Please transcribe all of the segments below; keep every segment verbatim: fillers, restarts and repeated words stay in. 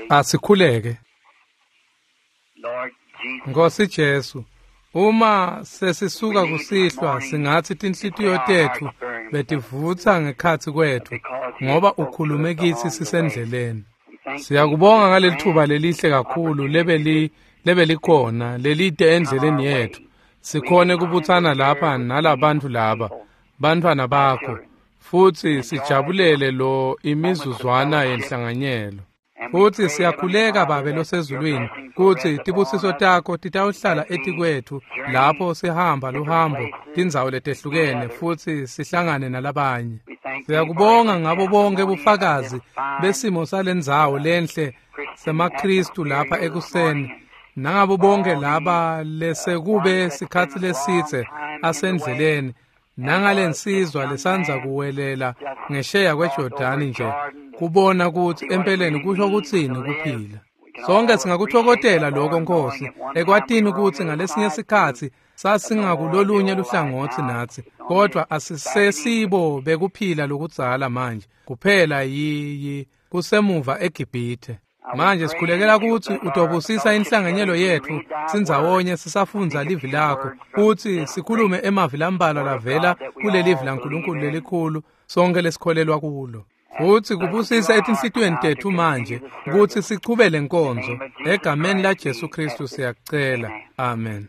Asikhuleke. Nkosi Jesu, uma sesisuka kusihlwa singathi tinhlitiyo tetfu betivutsa ngekhatsi kwetfu ngoba ukhulume kitsi sisendleleni. Siyakubonga ngaleli thuba lelihle kakhulu lebeli lebelikhona lelide endleleni yetfu. Sikhone kubutsana lapha nalabantu laba, bantfwana bakho, futsi sijabulele lo imizuzwana yenhlanganyelo. Futsi siyakhuleka Babe losezulwini kutsi tibusiso takho titawuhlala etikwetfu lapho sihamba luhambo tindzawo letehlukene futsi sihlangane nalabanye. Siyakubonga ngabo bonke bufakazi besimo salendzawo lenhle semaKhristu lapha ekuseni nangabo bonke laba lesekube sikhatsi lesitse asendleleni nangalensizwa lesandza kuwelela ngesheya kweJordani nje kubona kutsi empeleni kusho kutsini kuphila. Sonke singakutfokotela lokho Nkosi ekwatini kutsi ngalesinye sikhatsi sasingakulolunye luhlangotsi natsi, kodwa asisesibo bekuphila lokudzala manje kuphela yi kusemuva eGibhithe. Manje sikhulekela kutsi utobusisa inhlanganyelo yetfu sindzawonye sisafundza livi lakho kutsi sikhulume emavi lambalwa lavela kulelivi laNkulunkulu lelikhulu sonke lesikholelwa kulo. Futsi kubusisa etinhlitiyweni tetfu manje kutsi sichubele nkonzo egameni la Jesu Kristu siyakucela. Amen.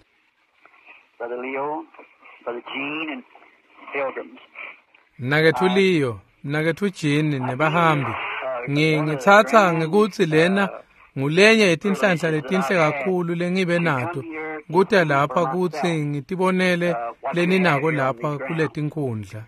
Mnaketfu Leo, mnaketfu Jean nebahambi, ngitsatsa ngekutsi lena ngulenye yetinhlanhla letinhle kakhulu lengibe nato kuta lapha kutsi ngitibonele leninako lapha kuletinkhundla.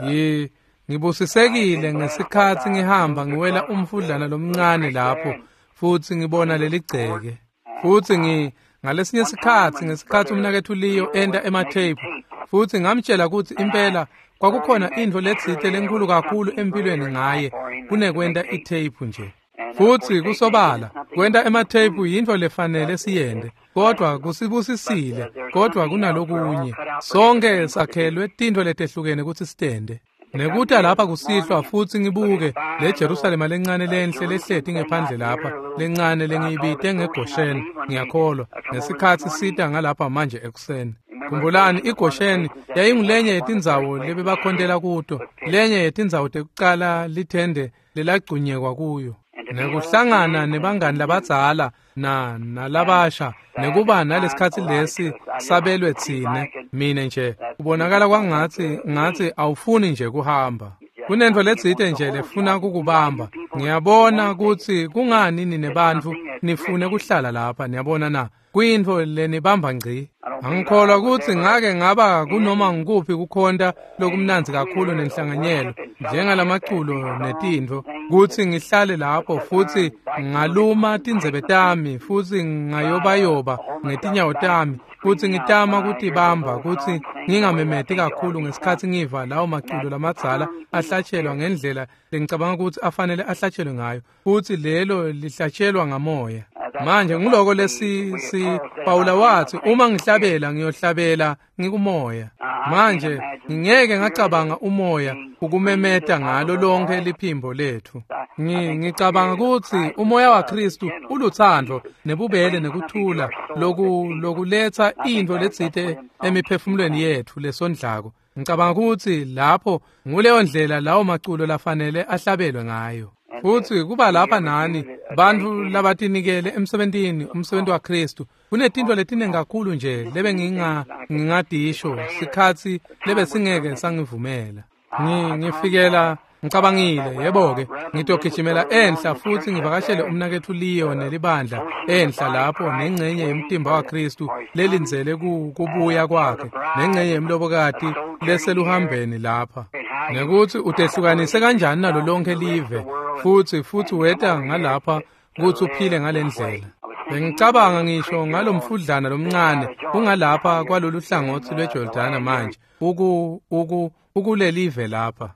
Yi ngibusisekile ngesikhatsi ngihamba ngiwela umfudlana lomncane lapho futsi ngibona leligceke. Futsi ngi ngalesinye sikhatsi ngesikhatsi umnaketfu Leo enta ematheyiphu futsi ngamtshela kutsi impela kwakukhona intfo letsite lenkhulu kakhulu empilweni ngaye kunekwenta itheyiphu nje. Futsi kusobala kwenta ematheyiphu yintfo lefanele siyente, kodwa kusibusisile, kodwa kunalokunye. Sonke sakhelwe tintfo letehlukene kutsi sitente. Nekuta lapha kusihlwa futsi ngibuke le Jerusalema lencane lenhle lehleti ngephandle lapha lencane lengiyibite ngeGosheni, ngiyakholwa ngesikhatsi sita ngalapha manje ekuseni. Khumbulani iGosheni yayingulenye yetindzawo lebebakhontela kuto, lenye yetindzawo tekucala lithende lelagcunyekwa kuyo. Nekuhlangana nebangani labadzala na nalabasha nekuba nalesikhatsi lesi sabelwe tsine mine nje kubonakala kwangatsi ngatsi awufuni nje kuhamba. Kunentfo letsite nje lefuna kukubamba. Ngiyabona kutsi kungani nine bantfu nifune kuhlala lapha, niyabona na kuyintfo lenibamba ngci. Angikholwa kutsi ngake ngaba kunoma ngikuphi kukhonta lokumnandzi kakhulu nenhlanganyelo njengalamaculo netintfo kutsi ngihlale lapho futsi ngaluma tindzebe tami futsi ngayobayoba ngetinyawo tami kutsi ngitama kutibamba kutsi ngingamemeti kakhulu ngesikhatsi ngiva lawo maculo lamadzala ahlatshelwa ngendlela lengicabanga kutsi afanele ahlatshelwe ngayo, futsi lelo lihlatshelwa ngamoya. Manje nguloko lesi si Pawula wathi uma ngihlabela ngiyohlabela ngikumoya. Manje ngingeke ngacabanga umoya ukumemeta ngalo lonke liphimbo letfu. Ngicabanga kutsi umoya waKristu ulutsandvo nebubele nekuthula loku lokuletsa intfo letsite emiphefumulweni yetfu lesondlako. Ngicabanga kutsi lapho nguleyo ndlela lawo maculo lafanele ahlabelwe ngayo. Futsi kuba lapha nani bantfu labatinikele emsebentini umsebenti waKristu kunetintfo letiningi kakhulu nje lebe nginga ngingadisho sikhatsi lebe singeke sangivumela. Ngifikela ngicabangile yebo-ke ngitogijimela enhla futsi ngivakashele umnaketfu Leo nelibandla enhla lapho nengcenye yemtimba waKristu lelindzele kubuya kwakhe nengcenye yemlobokati leseluhambeni lapha nekutsi utehlukanise kanjani nalo lonke live futsi futsi weta ngalapha kutsi uphile ngalendlela. Bengicabanga ngisho ngalomfudlana lomncane ungalapha kwalolu hlangotsi lweJordana manje uku uku ukulelive lapha.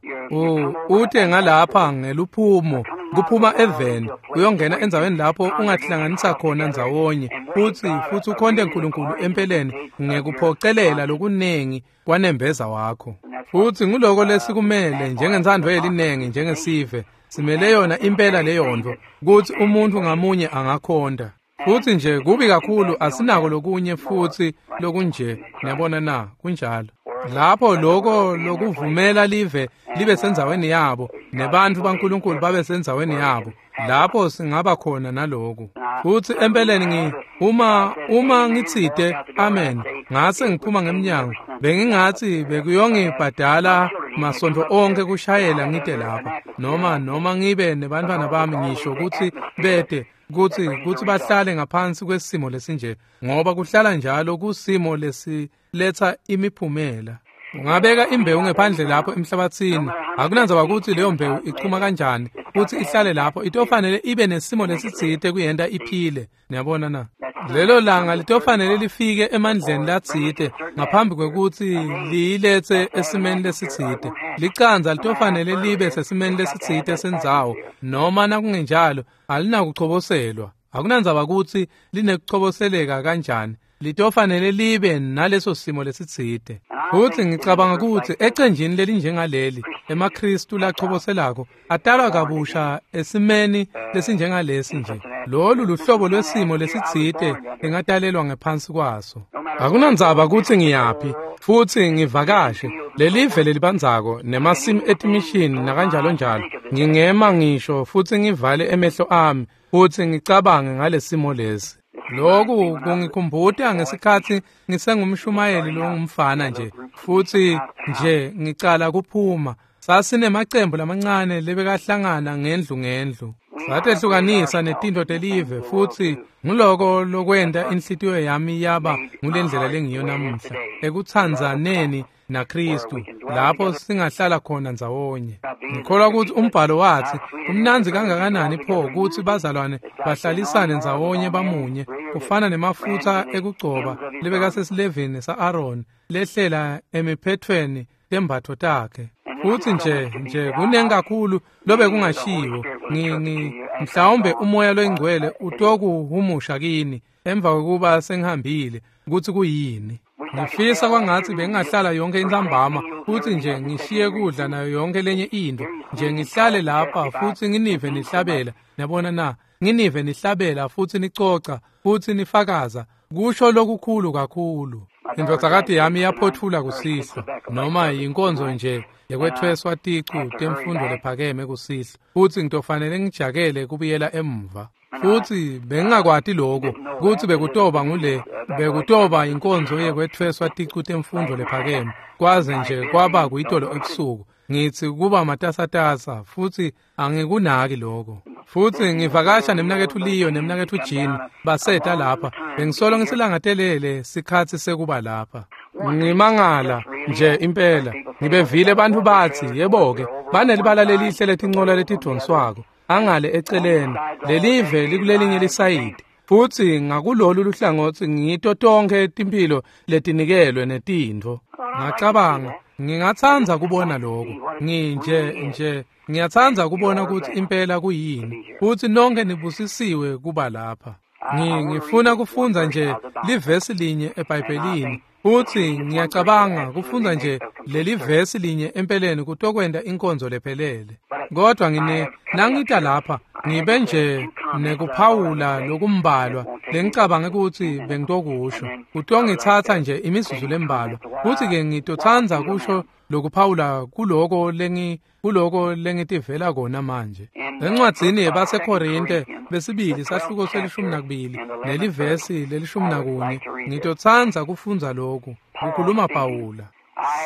Ute ngalapha ngeluphumo kuphuma eveni uyongena endzaweni lapho ungahlanganisa khona ndzawonye futsi futsi ukhonte uNkulunkulu empeleni ngekuphocelela lokunengi kwanembeza wakho. Futsi nguloko lesikumele njengentsandvo yelinengi njengesive Simele yona impela leyontfo kutsi umuntfu ngamunye angakhonta. Futsi nje kubi kakhulu asinako lokunye futsi lokunje, niyabona na, kunjalo. Lapho loko lokuvumela live libe sendzaweni yabo nebantfu baNkulunkulu babe sendzaweni yabo, lapho singaba khona naloku. Futsi empeleni ngi uma uma ngitsite amen ngase ngiphuma ngemnyango, bengingatsi bekuyongibhadala masontfo onke kushayela ngite lapha noma noma ngibe nebantfwana bami ngisho kutsi bete kutsi kutsi bahlale ngaphansi kwesimo lesinje, ngoba kuhlala njalo kusimo lesiletsa imiphumela. Ungabeka imbewu ngephandle lapho emhlabatsini, akunandzaba kutsi leyo mbewu ichuma kanjani futsi ihlale lapho, itofanele ibe nesimo lesitsite kuyenta iphile. Niyabona na? Lelo langa litofanele lifike emandleni latsite ngaphambi kwekutsi liyiletse esimeni lesitsite. Licandza litofanele libe sesimeni lesitsite sendzawo, noma nakungenjalo alinakuchoboselwa. Akunandzaba kutsi linekuchoboseleka kanjani, litofanele libe naleso simo lesitsite. Futsi ngicabanga kutsi ecenjini lelinjengaleli emaKhristu lachoboselako atalwa kabusha esimeni lesinjengalesi nje. Lolu luhlobo lwesimo lesitsite lengatalelwa ngephansi kwaso. Akunandzaba kutsi ngiyaphi futsi ngivakashe lelive lelibandzako nemasimu etimishini nakanjalo njalo, ngingema ngisho futsi ngivale emehlo ami futsi ngicabange ngalesimo lesi. Lokhu kungikhumbuta ngesikhatsi ngisengumshumayeli longumfana nje futsi nje ngicala kuphuma. Sasinemacembu lamancane lebekahlangana ngendlu ngendlu. Satehlukanisa netintfo telive futsi nguloko lokwenta inhlitiyo yami yaba ngulendlela lengiyo namuhla ekutsandzaneni naKhristu, lapho singahlala khona ndzawonye. Ngikholwa kutsi umbhalo watsi kumnandzi kangakanani pho kutsi bazalwane bahlalisane ndzawonye bamunye, kufana nemafutsa ekugcoba lebekasesilevini sa-Aroni lehlela emiphethweni tembatfo takhe. Futsi nje nje kunengi kakhulu lobekungashiwo. Ngi mhlawumbe umoya loyingcwele utokuhumusha kini emva kwekuba sengihambile kutsi kuyini. Ngifisa kwangatsi bengingahlala yonke intsambama futsi nje ngishiye kudla nayo yonke lenye intfo nje, ngihlale lapha futsi nginive nihlabela. Niyabona na? Nginive nihlabela futsi nicoca futsi nifakaza, kusho lokukhulu kakhulu. Indvodzakati yami iyaphothula kusihlwa, noma yinkonzo nje yekwethweswa ticu temfundo lephakeme kusihlwa, futsi ngitofanele ngijakele kubuyela emva. Futsi bengingakwati lokho kutsi bekutoba ngule bekutoba inkonzo yekwethweswa ticu temfundo lephakeme, kwaze nje kwaba kuyitolo ebusuku. Ngitsi kuba matasatasa futsi angikunaki lokho. Futsi ngivakasha nemnaketfu Leo nemnaketfu Jean baseta lapha. Bengisolo ngisilangatelele sikhatsi sekuba lapha. Ngimangala nje impela ngibevile bantfu batsi yebo-ke banelibala lelihle letincola letidvonswako angale eceleni, lelive likulelinye lisayidi, futsi ngakulolu luhlangotsi ngito tonkhe timphilo letinikelwe netintfo. Ngacabanga ngingatsandza kubona lokho. Nginje nje ngiyatsandza kubona kutsi impela kuyini, futsi nonke nibusisiwe kuba lapha. Ngifuna kufundza nje livesi linye eBhayibhelini, futsi ngiyacabanga kufundza nje leli vesi linye empeleni kutokwenta inkonzo lephelele. Kodwa ngine nangita lapha ngibe nje nekuphawula lokumbalwa lengicabange kutsi bengitokusho. Kutongitsatsa nje imizuzu lembalwa, futsi-ke ngitotsandza kusho lokuphawula kuloko lengi kuloko lengitivela kona manje. Encwadzini yebaseKorinte besibili sahluko selishumi nakubili nelivesi lelishumi nakunye, ngitotsandza kufundza lokhu, kukhuluma Pawula.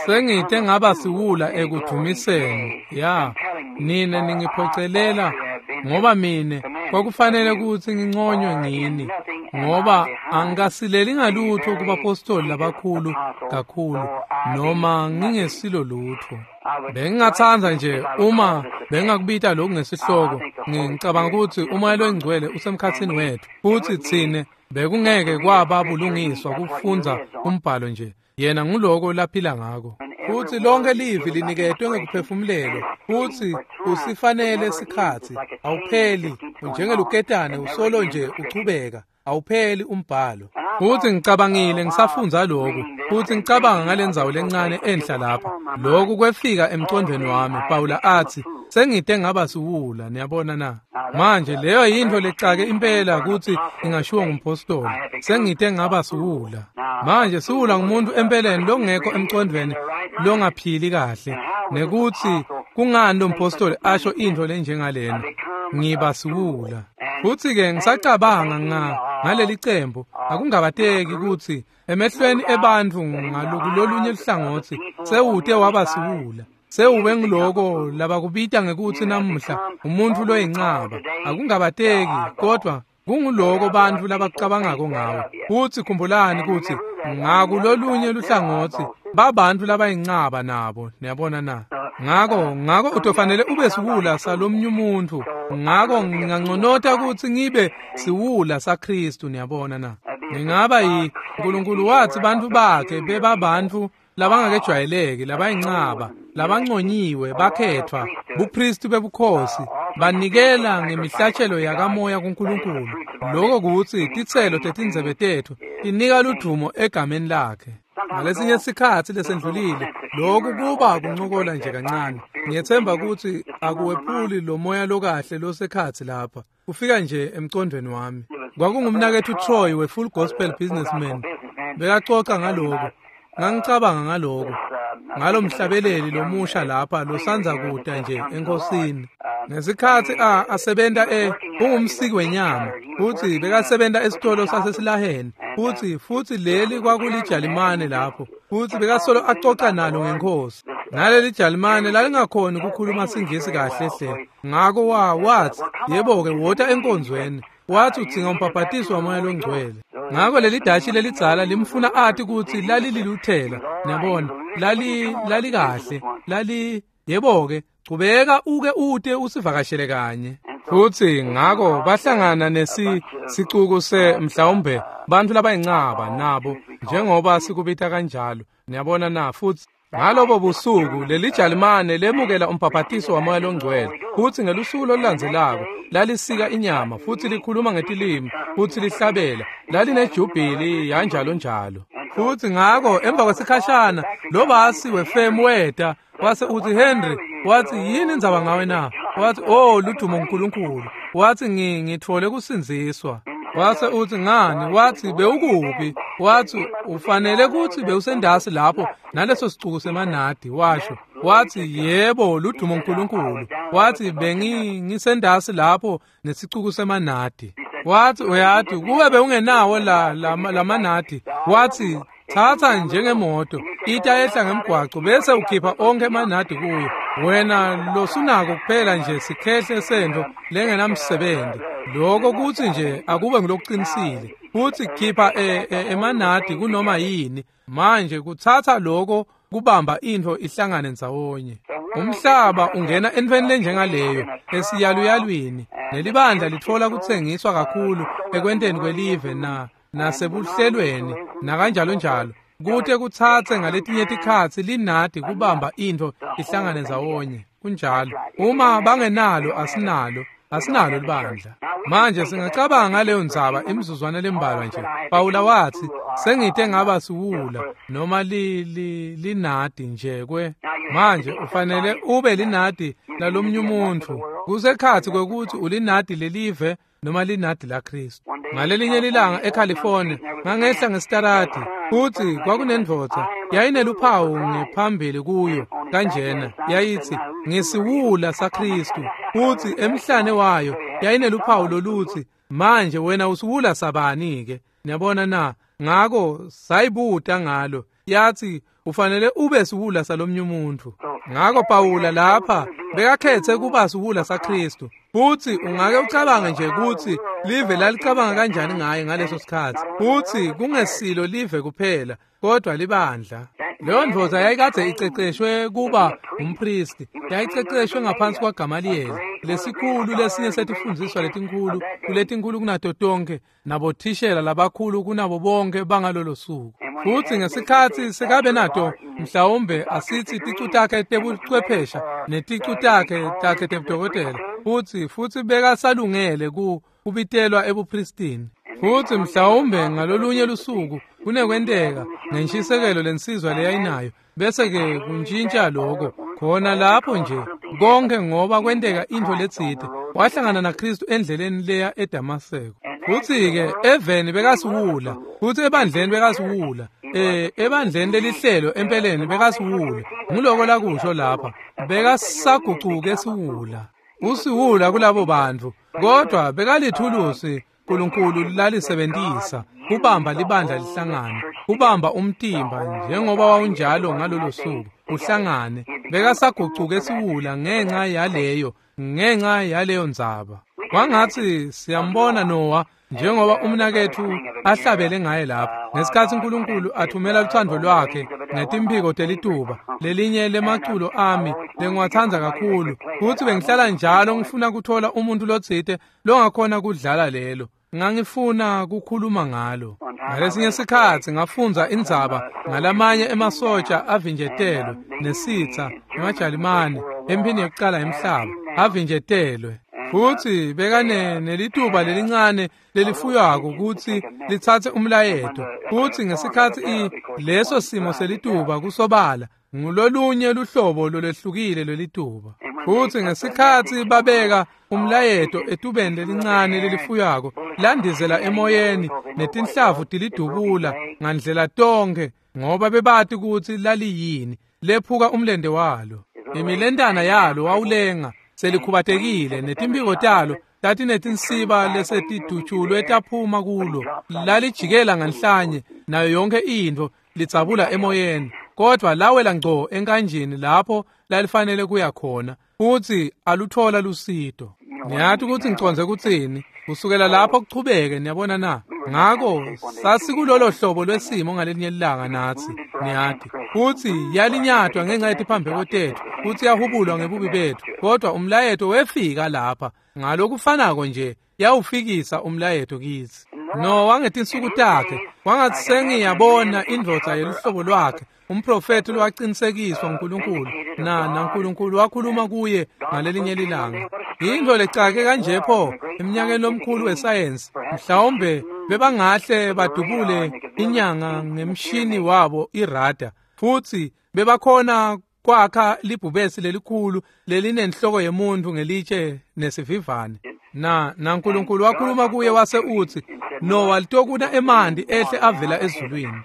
Sengite ngaba siwula ekudvumiseni, ya nine ningiphocelela, ngoba mine kwakufanele kutsi nginconywe ngini, ngoba angikasileli ngalutho kubapostoli labakhulu kakhulu, noma ngingesilo lutho. Bengingatsandza nje uma bengingakubita lokhu ngesihloko, ngicabanga kutsi umoya loyingcwele usemkhatsini wethu, futsi tsine bekungeke kwaba bulungiswa kufundza umbhalo nje. Yena nguloko laphila ngako. Futsi lonke livi liniketwe ngekuphefumulelwa, futsi usifanele sikhatsi, awupheli, unjengeluketane usolo nje uchubeka, awupheli umbhalo. Futsi ngicabangile ngisafundza lokhu, futsi ngicabanga ngalendzawo lencane enhla lapha. Lokhu kwefika emcondvweni wami, Pawula atsi, Sengite ngaba siwula, niyabona na? Manje leyo yintfo lecake impela kutsi ingashiwo ngumpostoli. Sengite ngaba siwula. Manje siwula ngumuntu empeleni longekho emcondvweni, longaphili kahle. Nekutsi kungani lo mpostoli asho intfo lenjengalena? Ngiba siwula. Futsi-ke ngisacabanga nga ngaleli cembu, akungabateki kutsi emehlweni ebantfu ngalokulolunye luhlangotsi sewute waba siwula. Sewube ngiloko labakubita ngekutsi namuhla umuntfu loyincaba. Akungabateki, kodwa kunguloko bantfu labakucabangako ngawe. Futsi khumbulani kutsi ngakulolunye luhlangotsi babantfu labayincaba nabo, niyabona na? Ngako ngako utofanele ube siwula salomnye umuntfu. Ngako nginganconota kutsi ngibe siwula saKhristu, niyabona na? Ngingaba yi Nkulunkulu watsi bantfu bakhe bebabantfu labangakejwayeleki, labayincaba, labanconyiwe, bakhetfwa, bupristi bebukhosi, banikela ngemihlatshelo yakamoya kuNkulunkulu. Lokho kutsi titselo tetindzebe tetfu tinika ludvumo egameni lakhe. Ngalesinye sikhatsi lesendlulile, lokhu kuba kuncokola nje kancane. Ngiyethemba kutsi akuwephuli lo moya lokahle losekhatsi lapha. Kufika nje emcondvweni wami. Kwakungumnaketfu Troy we-Full Gospel Businessman. Bekacoca ngaloko. Ngangicabanga ngaloko. Ngalo mhlabeleli lomusha lapha losandza kuta nje enkosini. Ngesikhatsi a asebenta e ungumsiki wenyama, futsi bekasebenta esitolo sasesilaheni, futsi futsi leli kwakulijalimane lapho, futsi bekasolo acoca nalo ngenkhosi. Naleli jalimane lalingakhoni ukukhuluma siNgisi kahle hle. Ngako wa wathi, yebo-ke wota enkonzweni. Wathi udzinga umbhabhatiso wamoya longcwele. Ngako leli dashi lelidzala limfuna ati kutsi lalililuthela, niyabona, lali lalikahle, lali yebo-ke chubeka uke ute usivakashele kanye. Futsi ngako bahlangana nesi sicuku se mhlawumbe bantfu labayincaba nabo njengoba sikubita kanjalo, niyabona na? Futsi ngalobo busuku leli jalimane lemukela umbhabhatiso wamoya longcwele, futsi ngelusuku lolulandzelako lalisika inyama futsi likhuluma ngetilimi futsi lihlabela, lalinejubhili yanjalo njalo. Futsi ngako emva kwesikhashana lo basi wefemu weta wase utsi, Henry, wathi yini indzaba ngawe na? Wathi, oh ludumo uNkulunkulu. Wathi ngi ngitfole kusindziswa. Wase utsi ngani? Wathi bewukuphi? Wathi ufanele kutsi bewusendasi lapho naleso sicuku semanadi, washo. Wathi yebo ludumo uNkulunkulu. Wathi bengi ngisendasi lapho nesicuku semanadi. Wathi uyati kube bewungenawo la lamanadi. Wathi thatha njengemoto ita ehla ngemgwaco bese ukhipha onke emanadi kuyo. Wena losunako kuphela nje sikhehle sento lengenamsebenzi. Lokho kutsi nje akube ngilokuqinisile. Futhi khipha emanadi kunoma yini. Manje kuthatha lokho kubamba into ihlangane ndzawonye. Umhlaba ungena entweni lenjengaleyo esiyaluyalwini, nelibandla litfola kutsengiswa kakhulu ekwenteni kwelive na nasebuhlelweni nakanjalo njalo. Kute kutsatse ngaletinye tikhatsi linadi kubamba into ihlangane ndzawonye. Kunjalo. Uma bangenalo asinalo, asinalo libandla. Manje singacabanga ngaleyo ndzaba imizuzwana lembalwa nje. Pawula wathi sengite ngaba siwula noma li, li, linadi nje kwe. Manje ufanele ube linadi lalomnye umuntu. Kusekhatsi kwekuthi ulinadi lelive noma linadi la Kristu. Ngalelinye lilanga eCalifornia ngangehla ngesitarati, futsi kwakunendvodza yayineluphawu ngephambili kuyo kanjena, yayithi ngisiwula saKristu, futsi emhlane wayo yayineluphawu lolutsi manje wena usiwula sabani ke? Niyabona na? Ngako sayibuta ngalo, yathi ufanele ube siwula salomnye umuntu. Ngako Pawula lapha bekakhethe kuba siwula saKristu. Futsi ungake ucabange nje kutsi live lalicabanga kanjani ngaye ngaleso sikhatsi. Futsi kungesilo live kuphela, kodwa libandla. Leyo ndvodza yayikadze iceceshwe kuba umpristi, yayiceceshwe ngaphansi kwaGamaliyeli, lesikhulu lesinye setifundziswa letinkhulu kuletinkulu kunato tonke, nabothishela labakhulu kunabo bonke bangalolo suku. Futsi ngesikhatsi sekabe nato mhlawumbe asithi ticu takhe tebuchwephesha neticu takhe takhe tebudokotela, futsi futsi bekasalungele ku kubitelwa ebupristini. Futsi mhlawumbe ngalolunye lusuku kunekwenteka ngenshisekelo lensizwa leyayinayo, bese ke kuntshintsha lokho Khona lapho nje konke ngoba kwenteka intfo letsite wahlangana naKristu endleleni leya eDamaseko. Futhi-ke eveni bekasiwula, futhi ebandleni bekasiwula, eh ebandleni lelihlelo empeleni bekasiwula. Nguloko lakusho lapha, bekasagucuke siwula. Usiwula kulabo bantfu, kodwa bekalithulusi uNkulunkulu lalisebentisa kubamba libandla lihlangane, kubamba umtimba njengoba wawunjalo ngalolo suku uhlangane. Bekasagucuke siwula ngenxa yaleyo, ngenxa yaleyo ndzaba. Kwangatsi siyambona Noah njengoba umnaketfu ahlabele ngaye lapha ngesikhatsi uNkulunkulu athumela luthando lwakhe ngetimphiko telituba, lelinye lemaculo ami lengiwatsandza kakhulu, futsi bengihlala njalo ngifuna kuthola umuntu lotsite longakhona kudlala lelo. Ngangifuna kukhuluma ngalo. Ngalesinye sikhatsi ngafundza indzaba ngalamanye emasotsha avinjetelwe nesitsa emaJalimane emphini yekucala yemhlaba, avinjetelwe. Futhi bekane nelituba lelincane lelifuywako kutsi litsatse umlayeto. Futhi ngesikhatsi i leso simo selituba kusobala ngulolunye luhlobo lolwehlukile lwelituba. Futhi ngesikhatsi babeka umlayeto etubeni lelincane lelifuywako landizela emoyeni netinhlavu tilidubula ngandlela tonkhe ngoba bebati kutsi laliyini, lephuka umlente walo. Imilentana yalo wawulenga selikhubatekile netimphiko talo tatinetinsiba lesetidutshulwe taphuma kulo. Lalijikela nganhlanye nayo yonke intfo lidzabula emoyeni, kodwa lawela ngco enkanjini lapho lalifanele kuya khona, futsi aluthola lusito. Niyati kutsi ngicondze kutsini kusukela lapho kuchubeke, niyabona na? Ngako sasikulolo hlobo lwesimo ngalelinye ilanga natsi, niyati, futsi yalinyatwa ngenxa yetiphambeko tetfu, futsi yahubulwa ngebubi betfu, kodwa umlayeto wefika lapha ngalokufanako nje yawufikisa umlayeto kitsi. Noah ngetinsuku takhe wangatsi sengiyabona indvodza yeluhlobo lwakhe, umprofethi lowaqinisekiswa nguNkulunkulu, na naNkulunkulu wakhuluma kuye ngalelinye lilanga. Yintfo lecake kanje pho eminyakeni lomkhulu wesayensi, mhlawumbe bebangahle badubule inyanga ngemshini wabo irada, futsi bebakhona kwakha libhubesi lelikhulu lelinenhloko yemuntu ngelitshe nesivivane. Na naNkulunkulu wakhuluma kuye wase utsi, Noah litokuna emanti ehle avela ezulwini.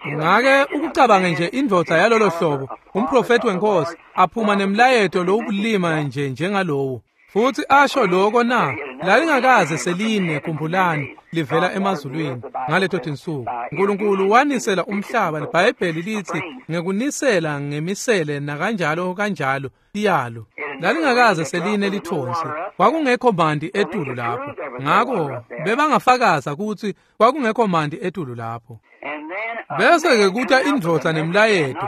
Ungake ukucabange nje indvodza yalolo hlobo, umprofethi wenkosi aphuma nemlayeto lowubulima nje njengalowo, futsi asho lokho na? Lalingakaze seline, khumbulani, livela emazulwini ngaleto tinsuku. uNkulunkulu wanisela umhlaba, iBhayibheli lithi ngekunisela ngemisele nakanjalo kanjalo iyalo. Lalingakaze seline lithonsi, kwakungekho manti etulu lapho. Ngako bebangafakaza kutsi kwakungekho manti etulu lapho. Bese-ke kuta indvodza nemlayeto,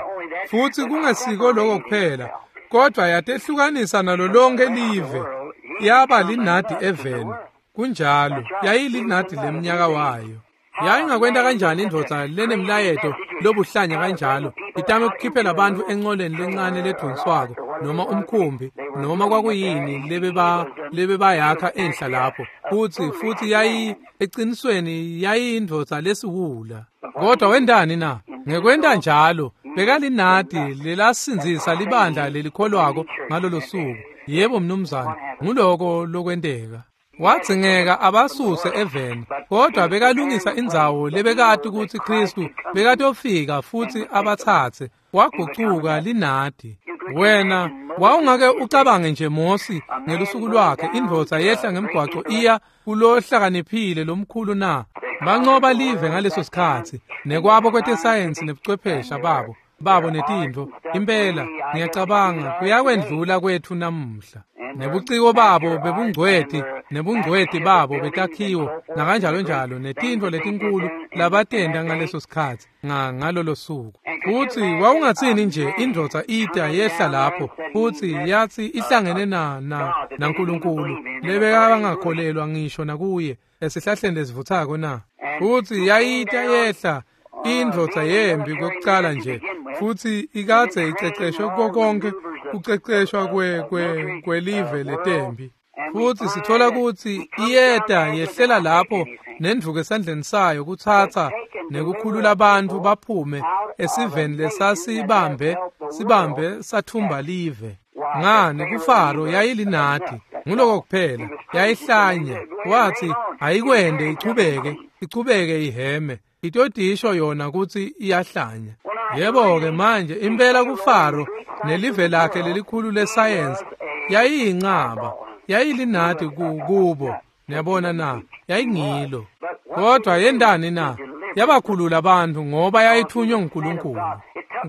futsi kungesiko lokho kuphela, kodwa yatehlukanisa nalo lonke live, yaba linadi eveni. Kunjalo, yayilinadi lemnyaka wayo. Yayingakwenta kanjani indvodza lenemlayeto lobuhlanya kanjalo itame ukukhiphela abantu enqoleni lencane ledvonswako noma umkhumbi noma kwakuyini lebeba lebebayakha enhla lapho, futsi futhi yayi eqinisweni yayindvodza lesiwula. Kodwa wendani na? Ngekwenta njalo bekalinadi lelasindzisa libandla lelikholwako ngalolo suku. Yebo mnumzane, nguloko lokwenteka. Wadzingeka abasuse eveni, kodwa bekalungisa indzawo lebekati kutsi Kristu bekatofika futsi abatsatse. Wagucuka linadi. Wena wawungake ucabange nje Mosi ngelusuku lwakhe, indvodza yehla ngemgwaco iya kulohlakaniphile lomkhulu na? Bancoba live ngaleso sikhatsi nekwabo kwetesayensi nebuchwephesha babo babo netintfo. Impela ngiyacabanga kuyakwendlula kwetfu namuhla. Nebuciko babo bebungcweti nebungcweti babo betakhiwo nakanjalo njalo netintfo letinkulu labatenta ngaleso sikhatsi ngalolo suku. Futsi wawungatsini nje indvodza ita yehla lapho futsi yatsi ihlangene na na naNkulunkulu lebekangakholelwa ngisho nakuye esihlahleni lesivuthako na? Futsi yayita yehla indvodza yembi kwekucala nje, futsi ikadze iceceshwe konke kuceceshwa kwe kwe kwelive letembi. Futsi sithola kutsi iyeta yehlela lapho nendvuku esandleni sayo kutsatsa nekukhulula abantu baphume esiveni lesasibambe sibambe sathumba live. Ngani kuFaro yayilinadi, nguloko kuphela, yayihlanya. Wathi ayikwende ichubeke, ichubeke iheme, itotisho yona kutsi iyahlanya. Yebo-ke manje impela kuFaro nelive lakhe lelikhulu lesayensi yayiyincaba, yayilinadi kubo. Niyabona na, yayingilo. Kodwa yendani na? Yabakhulula abantu ngoba yayithunywe nguNkulunkulu.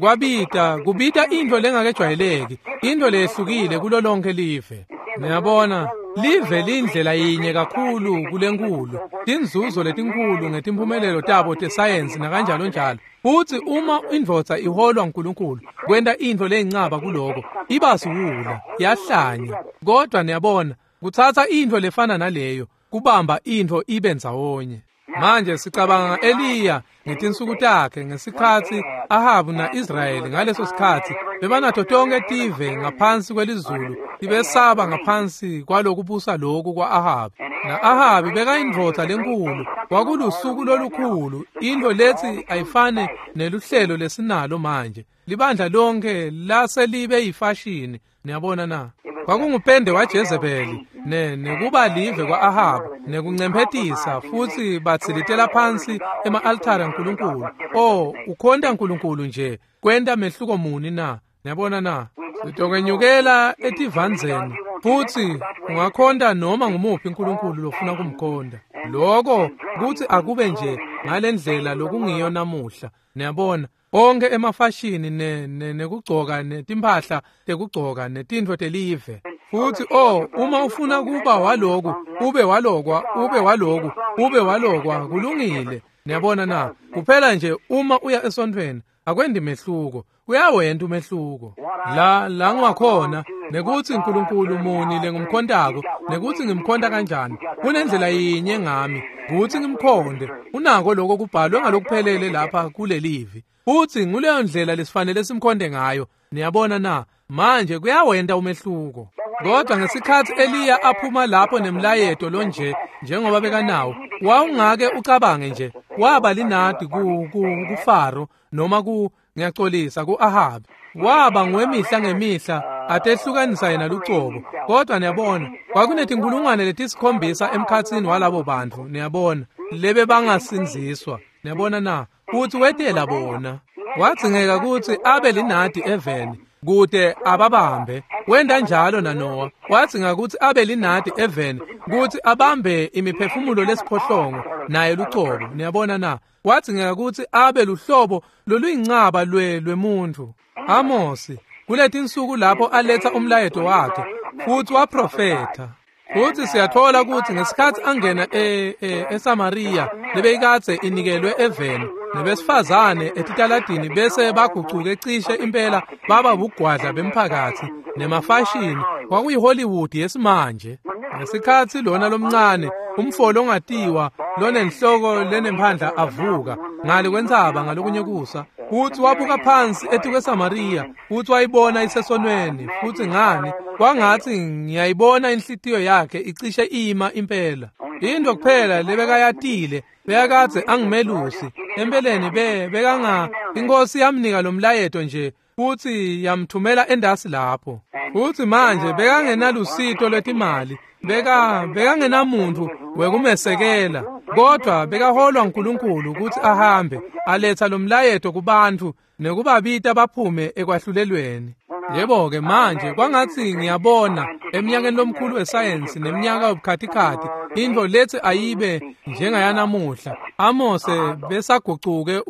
Kwabita, kubita into lengakejwayeleki, into lehlukile kulo lonke live. Niyabona, live lindlela yinye kakhulu kulenkulu, tinzuzo letinkulu ngetimphumelelo tabo tesayensi nakanjalo njalo. Futsi uma indvodza iholwa nguNkulunkulu, kwenta into leyincaba kuloko, iba siwula, yahlanya. Kodwa niyabona, kutsatsa into lefana naleyo, kubamba into ibe ndzawonye. Manje sicabanga Eliya ngetinsuku takhe ngesikhatsi Ahabu na-Israyeli ngaleso sikhatsi bebanato tonke tive ngaphansi kwelizulu tibesaba ngaphansi kwalokubusa loku kwa-Ahabi. Na-Ahabi bekayindvodza lenkulu, kwakulusuku lolukhulu, into lethi ayifane neluhlelo lesinalo manje. Libandla lonke laselibe yifashini, niyabona na? Kwakungupende waJezebeli ne nekuba live kwa-Ahabu nekuncemphetisa futsi batsilitela phansi ema-altare aNkulunkulu. Oh, ukhonta uNkulunkulu nje, kwenta mehluko muni na? Niyabona na? Sitokwenyukela etivandzeni futsi ungakhonta noma ngumuphi uNkulunkulu lofuna kumkhonta. Loko kutsi akube nje ngalendlela lokungiyo namuhla. Niyabona, onke emafashini ne nekugcoka netimphahla tekugcoka netintfo telive. Futsi oh, uma ufuna kuba waloku, ube walokwa, ube waloku, ube walokwa, kulungile. Niyabona na? Kuphela nje uma uya esontfweni, akwendi mehluko, uyawenta umehluko. La la ngiwakhona nekutsi uNkulunkulu muni lengumkhontako, nekutsi ngimkhonta kanjani. Kunendlela yinye ngami, kutsi ngimkhonde. Unako lokho kubhalwe ngalokuphelele lapha kulelivi. Futsi nguleyo ndlela lesifanele simkhonde ngayo. Niyabona na? Manje kuyawenta umehluko. Kodwa ngesikhatsi Eliya aphuma lapho nemlayeto lonje njengoba bekanawo, wawungake ucabange nje waba linadi ku kuFaro noma ku ngiyaxolisa ku-Ahabi. Waba ngwemihla ngemihla atehlukanisa yena lucobo. Kodwa niyabona, kwakunetinkulungwane letisikhombisa emkhatsini walabo bantfu, niyabona, lebe bangasindziswa. Niyabona na? Futsi wetela bona. Wadzingeka kutsi abe linadi eveni kute ababambe. Wenta njalo naNowa, wadzinga kutsi abe linadi eveni kutsi abambe imiphefumulo lesiphohlongo naye lucobo. Niyabona na? Wadzingeka kutsi abe luhlobo loluyincaba lwe lwemuntfu. Amosi kuletinsuku lapho aletha umlayeto wakhe futsi waprofetha. Futsi siyathola kutsi ngesikhatsi angena e, e, eSamariya lebeyikadze inikelwe eveni nebesifazane etitaladini bese bagucuke cishe impela baba bugwadla bemphakathi nemafashini, kwakuyiHollywood yesimanje. Ngesikhatsi lona lomncane umfo longatiwa lonenhloko lenemphandla avuka ngale kwentsaba ngalokunye kusa, futsi wabuka phansi etikweSamariya futsi wayibona isesonweni. Futsi ngani, kwangatsi ngiyayibona inhlitiyo yakhe icishe ima impela. Into kuphela lebekayatile, bekakadze angumelusi empeleni, be bekanga inkosi yamnika lo mlayeto nje futsi yamthumela endasi lapho. Futsi manje bekangenalusito lwetimali, beka bekangenamuntu wekumesekela, kodwa bekaholwa nguNkulunkulu kutsi ahambe aletha lo mlayeto kubantfu nekubabita baphume ekwahlulelweni. Yebo-ke manje kwangatsi ngiyabona eminyakeni lomkhulu wesayensi neminyaka yobukhatikhathi into lethi ayibe njengayanamuhla, Amose besagucuke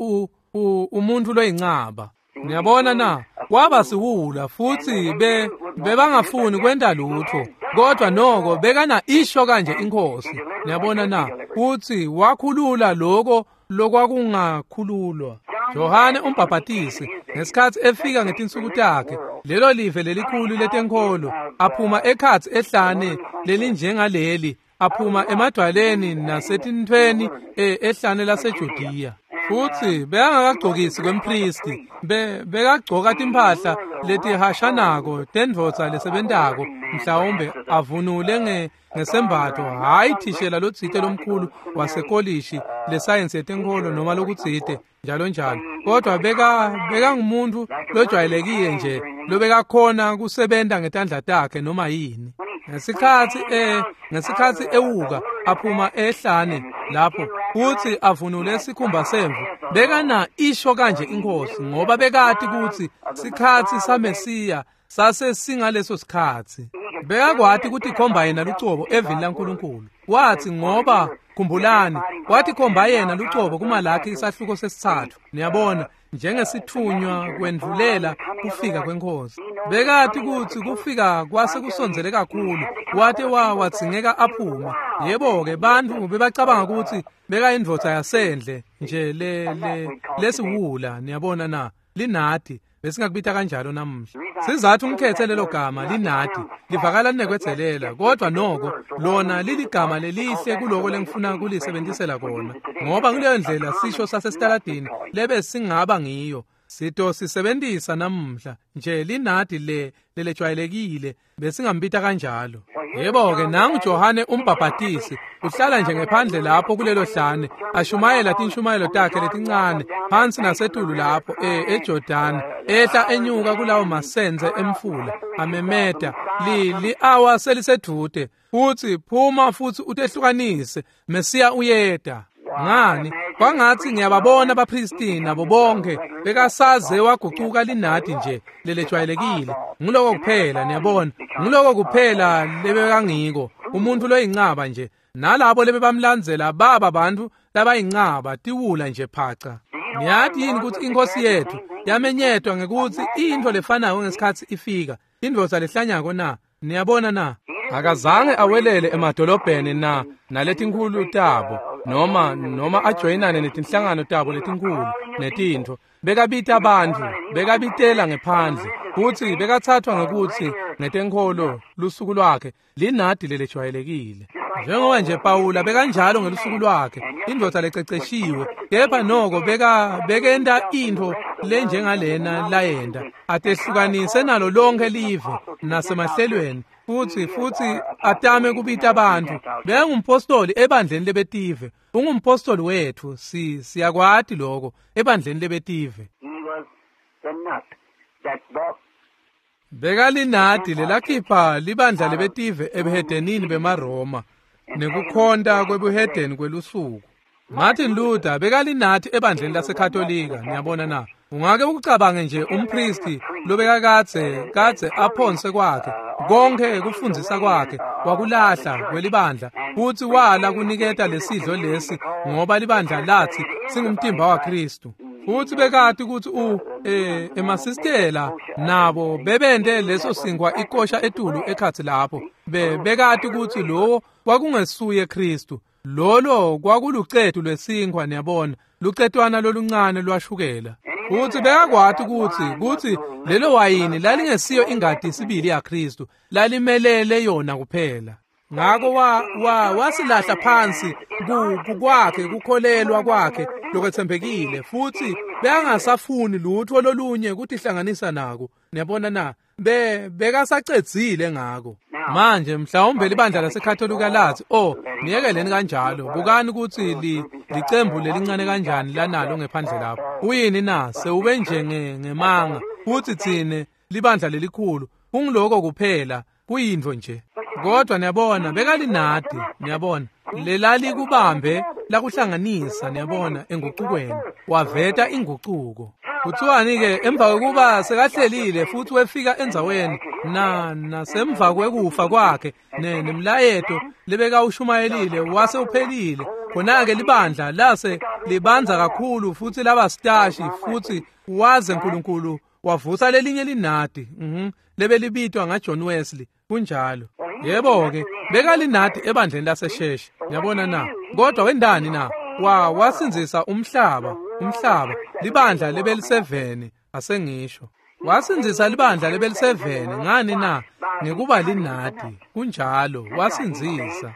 umuntu loyincaba. Niyabona na? Waba siwula futsi be bebangafuni kwenta lutho, kodwa noko bekana isho kanje inkosi. Niyabona na? Futsi wakhulula lokho lokwakungakhululwa. Johane umbhabhatisi ngesikhatsi efika ngetinsuku takhe, lelo live lelikhulu letenkholo, aphuma ekhatsi ehlane lelinjengaleli, aphuma emadwaleni nasetintfweni ehlane laseJudiya. Futsi bekangakagcokisi kwempristi, bekagcoka timphahla letihashanako tendvodza lesebentako, mhlawumbe avunule ngesembatfo, hhayi thishela lotsite lomkhulu wasekolishi lesayensi yetenkholo noma lokutsite njalo njalo. Kodwa beka bekangumuntu lojwayelekile nje lobekakhona kusebenta ngetandla takhe noma yini. Ngesikhatsi eh ngesikhatsi ewuka aphuma ehlane lapho futsi avunule sikhumba semvu, bekana isho kanje inkosi, ngoba bekati kutsi sikhatsi saMesiya sase singaleso sikhatsi. Bekakwati kutikhomba yena lucobo evini laNkulunkulu. Wathi ngoba khumbulani, watikhomba yena lucobo kuMalakhi isahluko sesitsatfu. Niyabona, njengesithunywa kwendvulela kufika kwenkosi. Bekati kutsi kufika kwase kusondzele kakhulu, wate wa wadzingeka aphume. Yebo-ke, bantfu bebacabanga kutsi bekayindvodza yasendle nje le le lesiwula, niyabona na, linadi. Besingakubita kanjalo namuhla. Sizathu ngikhethe lelo gama linadi, livakala linekwedzelela, kodwa noko lona liligama lelihle kuloko lengifuna kulisebenzisela kona, ngoba kuleyo ndlela sisho sasesitaladini lebe singaba ngiyo. Sito sisebenzisa namuhla nje linadi le lelejwayelekile, besingambita kanjalo. Yebo-ke, nangu Johane umbhabhatisi uhlala nje ngephandle lapho kulelo hlane, ashumayela tinshumayelo takhe letincane phansi nasetulu lapho e eJordan, ehla enyuka kulawo masenze emfula, amemeta li li-awa selisedvute, futsi phuma futsi utehlukanise, Mesiya uyeta. Ngani, kwangatsi ngiyababona abaphristi nabo bonke bekasaze wagucuka linadi nje lelejwayelekile. Nguloko kuphela, niyabona, nguloko kuphela lebekangiko, umuntu loyincaba nje. Nalabo lebebamlandzela baba bantfu labayincaba, tiwula nje phaca. Niyati yini kutsi inkosi yethu yamenyetwa ngekutsi intfo lefanako ngesikhatsi ifika, indvodza lehlanyako na? Niyabona na? Akazange awelele emadolobheni na naletinkhulu tabo, noma noma ajoyinane netinhlangano tabo letinkhulu netintfo. Bekabita bantfu, bekabitela ngephandle, futsi bekathathwa ngekutsi ngetenkholo lusuku lwakhe linadi lelejwayelekile. Njengoba nje Pawula bekanjalo ngelusuku lwakhe, indvodza lececeshiwe, kepha noko beka bekenta intfo lenjengalena layenta, atehlukanise nalo lonke live nasemahlelweni, futsi futsi atame kubita bantfu. Bekangumpostoli ebandleni lebetive, ungumpostoli wetfu, si siyakwati lokho ebandleni lebetive. Bekalinadi lelakhipha libandla lebetive ebuhedenini bemaRoma nekukhonta kwebuhedeni kwelusuku. Martin Luther bekalinadi ebandleni laseKatolika, niyabona na? Ungake ukucabange nje umpristi lobekakadze kadze aphonse kwakhe konke kufundzisa kwakhe wakulahla kwelibandla, futsi wala kuniketa lesidlo lesi ngoba libandla lathi singumtimba waKristu. Futsi bekati kutsi u eh emasistela nabo bebente leso sinkwa ikosha etulu ekhatsi lapho, be bekati kutsi lowo kwakungesuye Kristu. Lolo kwakulucetu lwesinkwa, niyabona, lucetwana loluncane lwashukela. Futsi bekakwati kutsi kutsi lelo wayini lalingesiyo ingati sibili yaKristu, lalimelele yona kuphela. Ngako wa wa wasilahla phansi ku kwakhe kukholelwa kwakhe lokwetsembekile, futsi bekangasafuni lutho lolunye kutihlanganisa nako. Niyabona na? Be bekasacedzile ngako. Manje mhlawumbe libandla laseKatolika lathi, oh, niyekeleni kanjalo, bukani kutsi li licembu lelincane kanjani lanalo ngephandle lapho. Uyini na? Sewube nje ngemanga, futsi tsine libandla lelikhulu, kungiloko kuphela, kuyintfo nje. Kodwa niyabona, bekalinadi, niyabona, lelalikubambe lakuhlanganisa, niyabona, engucukweni, waveta ingucuko. Kuthiwani-ke emva kwekuba sekahlelile futsi wefika endzaweni na nasemva kwekufa kwakhe nemlayeto lebekawushumayelile wase uphelile, khona-ke libandla lase libanza kakhulu futsi laba sitashi, futsi waze Nkulunkulu wavusa lelinye linadi, mhm lebelibitwa ngaJohn Wesley. Kunjalo. Yebo-ke, bekalinadi ebandleni laseSheshi, niyabona na? Kodwa wendani na? Wa wasindzisa umhlaba, umhlaba, libandla lebeliseveni, asengisho. Wasindzisa libandla lebeliseveni, ngani na? Ngekuba linadi. Kunjalo, wasindzisa.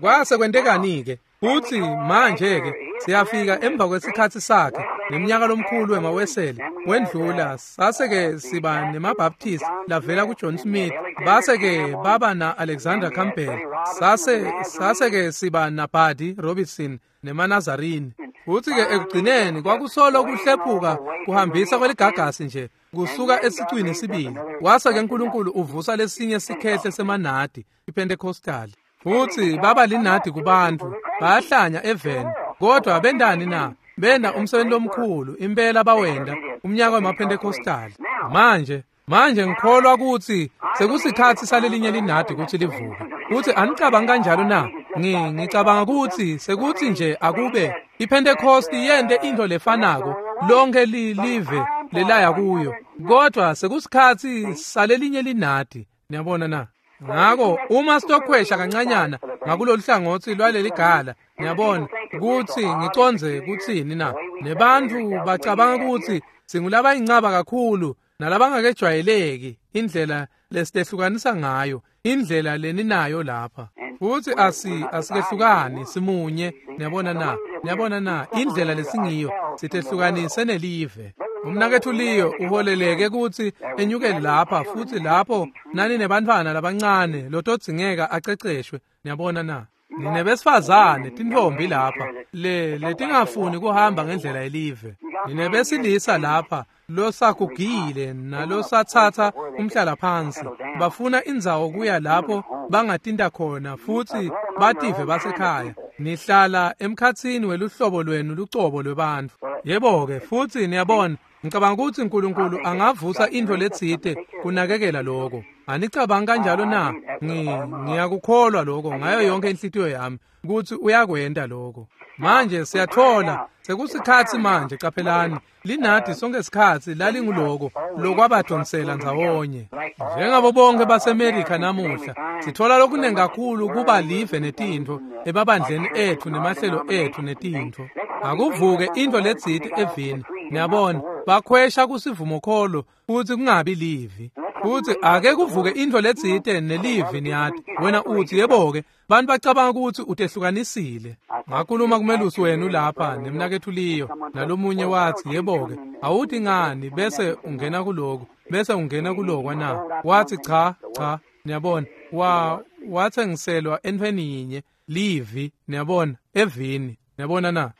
Kwase kwentekani-ke? Futsi manje-ke siyafika emva kwesikhatsi sakhe neminyaka lomkhulu wemaWeseli wendlula, sase-ke siba nemaBaptist lavela kuJohn Smith, base-ke baba na-Alexander Campbell, sase sase-ke siba naBuddy Robinson nemaNazarene. Futsi-ke ekugcineni kwakusolo kuhlephuka kuhambisa kweligagasi nje kusuka esicwini sibili. Wase-ke Nkulunkulu uvusa lesinye sikhehle semanadi, iPentecostal. Futsi baba linadi kubantfu, bayahlanya eveni. Kodwa bendani na? Benda umsebenzi lomkhulu, impela bawenda umnyaka wemaPentecostal. Manje, manje ngikholwa kutsi sekusikhatsi salelinye linadi kutsi livuke. Kutsi anicabangi kanjalo na? Ngi ngicabanga kutsi sekutsi nje akube iPentecost yente into lefanako lonke live lelaya kuyo. Kodwa sekusikhatsi salelinye linadi. Niyabona na? Ngako uma sitokhwesha kancanyana ngakulolu hlangotsi lwaleli gala, niyabona kutsi ngicondze kutsini na? Nebantfu bacabanga kutsi singulabayincaba kakhulu nalabangakejwayeleki indlela lesitehlukanisa ngayo, indlela leninayo lapha. Futsi asi asikehlukani simunye, niyabona na? Niyabona na? Indlela lesingiyo sitehlukanise nelive. Umnaketfu Leo uholeleke kutsi enyukele lapha futsi lapho nani nebantfwana labancane lotodzingeka aceceshwe, niyabona na? Ninebesifazane tintfombi lapha le letingafuni kuhamba ngendlela yelive. Ninebesilisa lapha losagugile nalosatsatsa umhlala phansi. Bafuna indzawo kuya lapho bangatinta khona futsi bative basekhaya. Nihlala emkhatsini weluhlobo lwenu lucobo lwebantfu. Yebo-ke futsi niyabona, ngicabanga kutsi Nkulunkulu angavusa intfo letsite kunakekela loko. Anicabangi kanjalo na? Ngi ngiyakukholwa loko ngayo yonke inhlitiyo yami kutsi uyakwenta loko. Manje siyathola sekusikhatsi manje, caphelani linadi sonke sikhatsi lalinguloko lokwabadonsela ndzawonye. Njengabo bonke baseMerika namuhla sithola lokunengi kakhulu kuba live netintfo emabandleni etfu nemahlelo etfu netintfo. Akuvuke intfo letsite evini, niyabona, bakhwesha kusivumokholo futsi kungabi livi. Futsi ake kuvuke intfo letsite nelivi, niyati. Wena utsi yebo-ke, bantu bacabanga kutsi utehlukanisile. Ngakhuluma kumelusi wenu lapha nemnaketfu Leo nalomunye watsi yebo-ke, awuthi ngani bese ungena kuloku, bese ungena kulokwa na? Watsi cha, cha, niyabona, wa watsengiselwa entfweni yinye, livi, niyabona, evini, niyabona na?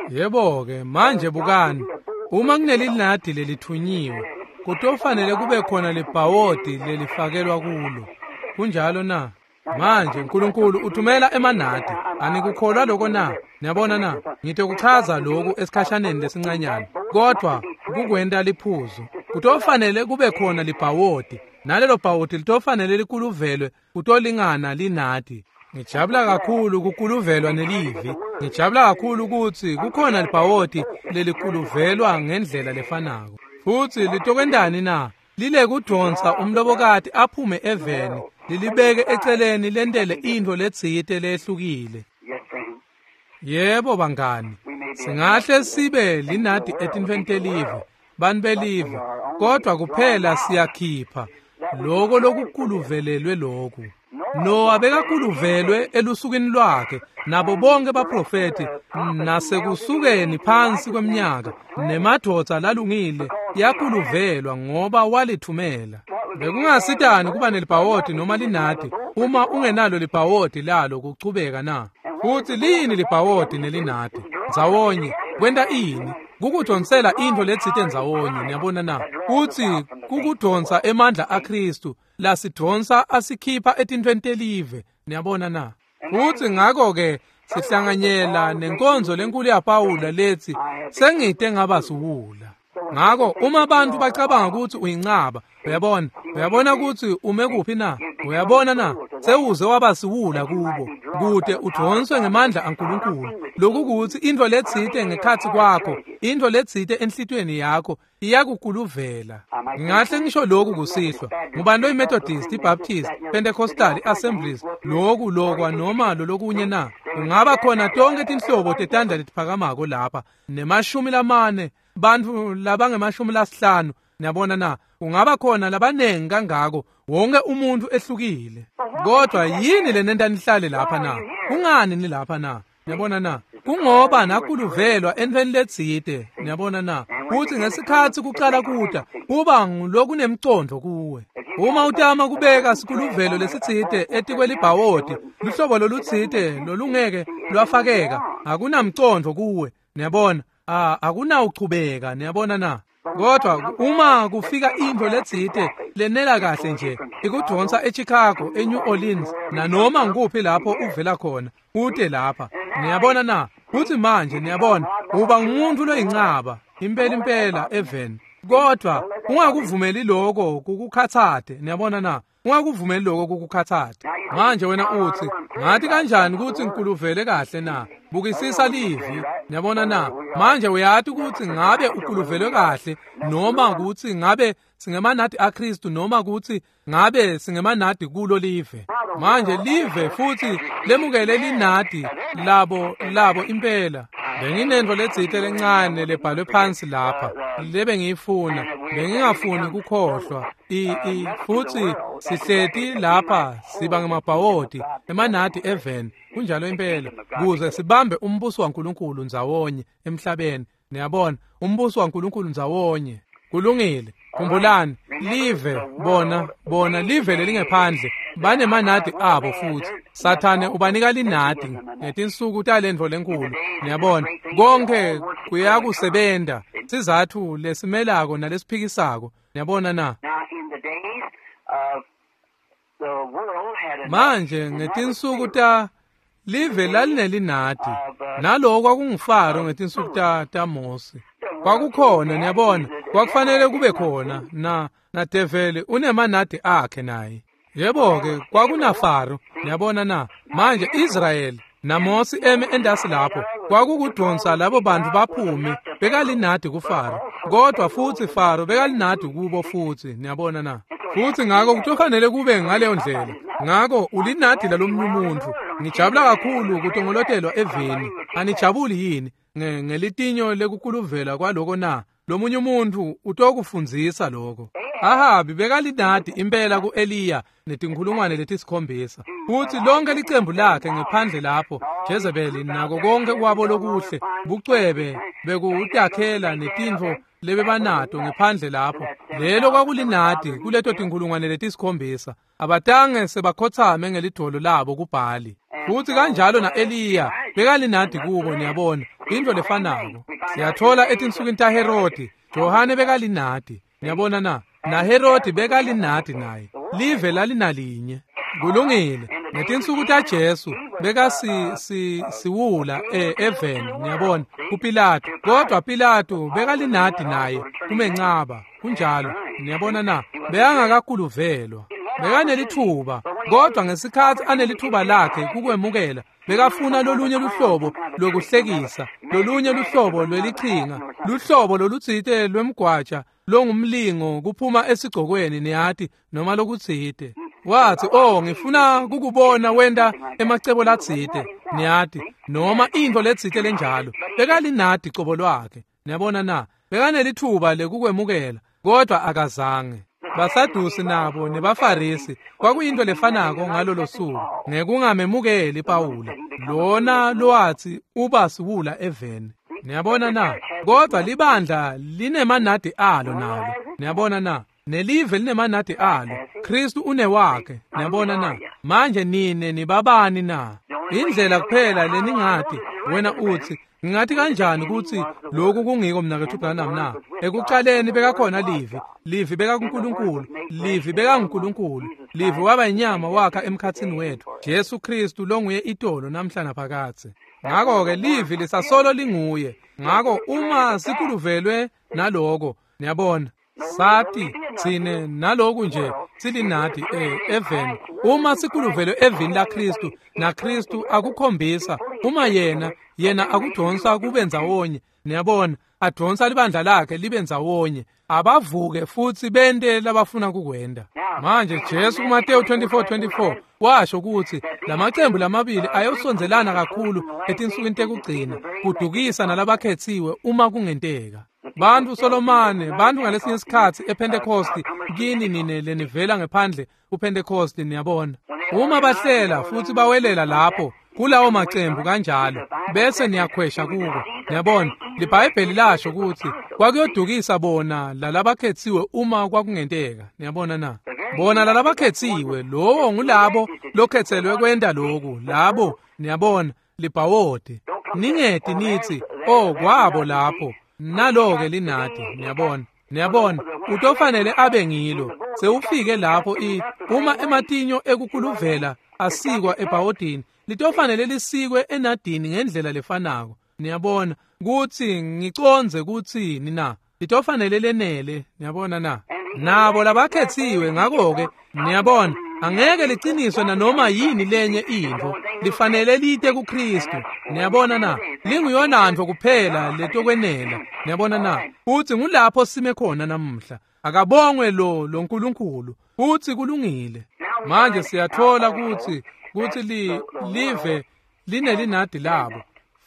Yebo-ke, manje bukani, uma kunelinadi lelithunyiwe, kutofanele kube khona libhawodi lelifakelwa kulo. Kunjalo na? Manje Nkulunkulu uthumela emanadi. Anikukholwa loko na? Niyabona na? Ngitokuchaza loku esikhashaneni lesincanyana, kodwa kukwenta liphuzu. Kutofanele kube khona libhawodi, nalelo bhawodi litofanele likuluvelwe kutolingana linadi. Ngijabula kakhulu kukuluvelwa nelivi. Ngijabula kakhulu kutsi kukhona libhawodi lelikuluvelwa ngendlela lefanako. Futsi litokwentani na? Lile kudonsa umlobokati aphume eveni, lilibeke eceleni lentele intfo letsite lehlukile. Yebo bangani, singahle sibe linadi etintfweni telive, bantfu belive, kodwa kuphela siyakhipha loko lokukuluvelelwe loku. Noah bekakuluvelwe elusukwini lwakhe nabo bonke baprofeti nasekusukeni phansi kweminyaka nemadvodza lalungile yakuluvelwa ngoba walithumela. Bekungasitani kuba nelibhawodi noma linadi uma ungenalo libhawodi lalo kuchubeka na? Futsi liyini libhawodi nelinadi ndzawonye kwenta ini? Kukudonsela intfo letsite ndzawonye, niyabona na? Futsi kukudonsa emandla aKhristu lasidonsa asikhipha etintfweni telive, niyabona na? Futsi ngako-ke sihlanganyela nenkonzo lenkulu yaPawula letsi sengite ngaba siwula. Ngako uma abantu bacabanga kutsi uyincaba, uyabona, uyabona kutsi ume kuphi na? Uyabona na? Sewuze waba siwula kubo, kute udonswe ngemandla aNkulunkulu. Lokhu kutsi intfo letsite ngekhatsi kwakho, intfo letsite enhlitiyweni yakho iyakukuluvela. Ngingahle ngisho lokhu kusihlwa, ngubani loyiMethodist, iBaptist, Pentecostal, iAssemblies, lokhu lokwa noma lolokunye na? Kungaba khona tonke tinhlobo tetandla letiphakamako lapha, nemashumi lamane, bantfu labangemashumi lasihlanu, niyabona na? Kungaba khona labanengi kangako, wonke umuntu ehlukile. Kodwa yini lenenta nihlale lapha na? Kungani nilapha na? Niyabona na? Kungoba nakuluvelwa entfweni letsite, niyabona na? Kutsi ngesikhatsi kucala kuta, kuba ngulokunemcondvo kuwe. Uma utama kubeka sikuluvelo lesitsite etikwelibhawodi, luhlobo lolutsite lolungeke lwafakeka, akunamcondvo kuwe, niyabona, akunawuchubeka, niyabona na? Kodwa uma kufika intfo letsite lenela kahle nje ikudvonsa eChicago, eNew Orleans, nanoma ngikuphi lapho uvela khona, ute lapha, niyabona na? Futsi manje niyabona, uba ngumuntu loyincaba impela impela eveni. Kodwa ungakuvumeli lokho kukukhatsate, niyabona na? Ungakuvumeli lokho kukukhatsate. Manje wena utsi, ngathi kanjani kutsi ngikuluvele kahle na? Bukisisa livi, niyabona na? Manje uyati kutsi ngabe ukuluvelwe kahle noma kutsi ngabe singemanadi aKristu noma kutsi ngabe singemanadi kulo live. Manje live futsi lemukele linadi labo labo impela. Benginento letsite lencane lebhalwe phansi lapha lebe ngiyifuna, bengingafuni kukhohlwa. I i futsi sihleti lapha siba ngemabhawodi emanadi eveni, kunjalo impela, kuze sibambe umbuso waNkulunkulu ndzawonye emhlabeni. Niyabona, umbuso waNkulunkulu ndzawonye. Kulungile. Khumbulani, live bona bona live lelingephandle banemanadi abo futhi. Sathane ubanika linadi ngetinsuku talendvo lenkulu. Niyabona, konke kuyakusebenta sizathu lesimelako nalesiphikisako. Niyabona na? Manje ngetinsuku ta live lalinelinadi, naloko kwakungufaro ngetinsuku ta taMose. Kwakukhona, niyabona, kwakufanele kube khona na na develi unemanadi akhe naye. Yebo-ke, kwakunafaro, niyabona na? Manje Israyeli naMose eme endasi lapho, kwakukudonsa labo bantu baphume, bekalinadi kuFaro. Kodwa futsi Faro bekalinadi kubo futsi, niyabona na? Futsi ngako kutofanele kube ngaleyo ndlela. Ngako ulinadi lalomnye umuntu. Ngijabula kakhulu kutongolotelwa eveni. Anijabuli yini ngelitinyo lekukuluvela kwaloko na? Lomunye umuntu utokufundzisa lokho. Ahabi bekalinadi impela ku-Eliya netinkhulungwane letisikhombisa. Futsi lonke licembu lakhe ngephandle lapho, Jezebeli nako konke kwabo lokuhle, bucwebe bekutakhela netintfo lebebanato ngephandle lapho. Lelo kwakulinadi kuleto tinkhulungwane letisikhombisa. Abatange sebakhotsame ngelidvolo labo kuBhali. Futsi kanjalo na-Eliya bekalinadi kubo, niyabona, intfo lefanako. Siyathola etinsukwini taHerodi, Johane bekalinadi, niyabona na? NaHerodi bekalinadi naye. Live lalinalinye. Kulungile. Ngetinsuku taJesu bekasi si siwula eveni, niyabona, kuPilato. Kodwa Pilato bekalinadi naye kumencaba. Kunjalo, niyabona na? Bekangakakuluvelwa. Bekanelithuba, kodwa ngesikhatsi anelithuba lakhe kukwemukela, bekafuna lolunye luhlobo lokuhlekisa, lolunye luhlobo lwelichinga, luhlobo lolutsite lwemgwaja longumlingo kuphuma esigcokweni, niyati, noma lokutsite. Wathi, oh, ngifuna kukubona wenta emacebo latsite, niyati, noma intfo letsite lenjalo. Bekalinadi cobo lwakhe, niyabona na? Bekanelithuba lekukwemukela, kodwa akazange. Basadusi nabo nebaFarisi kwakuyinto lefanako ngalolo suku, ngekungamemukeli Pawula lona lowathi uba siwula eveni. Niyabona na? Kodwa libandla linemanadi alo nalo. Niyabona na? Nelive linemanadi alo. Kristu unewakhe. Niyabona na? Manje nine nibabani na? Indlela kuphela leningati, wena uthi, ngingathi kanjani kutsi lokhu kungiko mnaketfu Branham na? Ekucaleni bekakhona livi, livi bekakuNkulunkulu, livi bekanguNkulunkulu, livi waba inyama wakha emkhatsini wethu, Jesu Kristu longuye itolo namhla naphakadze. Ngako-ke livi lisasolo linguye. Ngako uma sikuluvelwe naloko, niyabona, sati tsine naloku nje silinadi eveni. Uma sikuluvelwe evini laKristu naKristu akukhombisa, uma yena yena akudonsa kube ndzawonye, niyabona, adonsa libandla lakhe libe ndzawonye, abavuke futsi bente labafuna kukwenda. Manje Jesu kuMateyu twenty-four twenty-four washo kutsi lamacembu lamabili ayosondzelana kakhulu etinsukwini tekugcina, kudukisa nalabakhetsiwe uma kungenteka. Bantu Solomane, bantu ngalesinye isikhatsi ePentecost, kini nine lenivela ngephandle kuPentecost, niyabona. Uma bahlela futsi bawelela lapho kulawo macembu kanjalo, bese niyakhwesha kuko. Niyabona, liBhayibheli lasho kutsi kwakuyodukisa bona lalabakhetsiwe uma kwakungenteka. Niyabona na? Bona lalabakhetsiwe, lowo ngulabo lokhetselwe kwenta loku, labo, niyabona, libhawodi. Ningeti nithi, oh, kwabo lapho, nalo-ke linadi, niyabona. Niyabona, utofanele abe ngilo. Sewufike lapho i uma ematinyo ekukuluvela asikwa ebhawodini, litofanele lisikwe enadini ngendlela lefanako. Niyabona, kutsi ngicondze kutsini na? Litofanele lenele, niyabona na? Nabo labakhetsiwe ngakho-ke, niyabona, angeke liqiniswe nanoma yini lenye intfo, lifanele lite kuKristu. Niyabona na? Linguyonantfo kuphela letokwenela. Niyabona na? Futsi ngulapho sime khona namuhla. Akabongwe lo lo Nkulunkulu. Futsi kulungile. Manje siyathola kutsi kutsi li live linelinadi labo.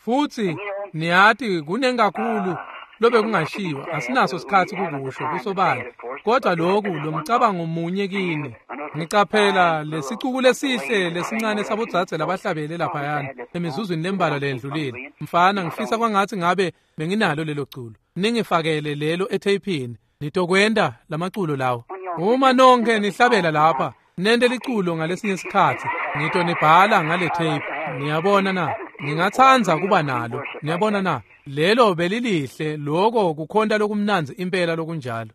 Futsi niyati kunengakhulu lobe kungashiwa, asinaso sikhatsi kukusho kusobala. Kodwa lokhu lomcabango munye kini. Ngicaphela lesicuku lesihle lesincane sabodzadze labahlabele laphayana emizuzwini lembalwa lendlulile. Mfana, ngifisa kwangatsi ngabe benginalo lelo culo. Ningifakele lelo etheyphini. Nitokwenta lamaculo lawo. Uma nonke nihlabela lapha, nente liculo ngalesinye isikhatsi, ngitonibhala ngale tape. Niyabona na? Ngingatsandza kuba nalo. Niyabona na? Lelo belilihle, loko kukhonta lokumnandzi impela lokunjalo.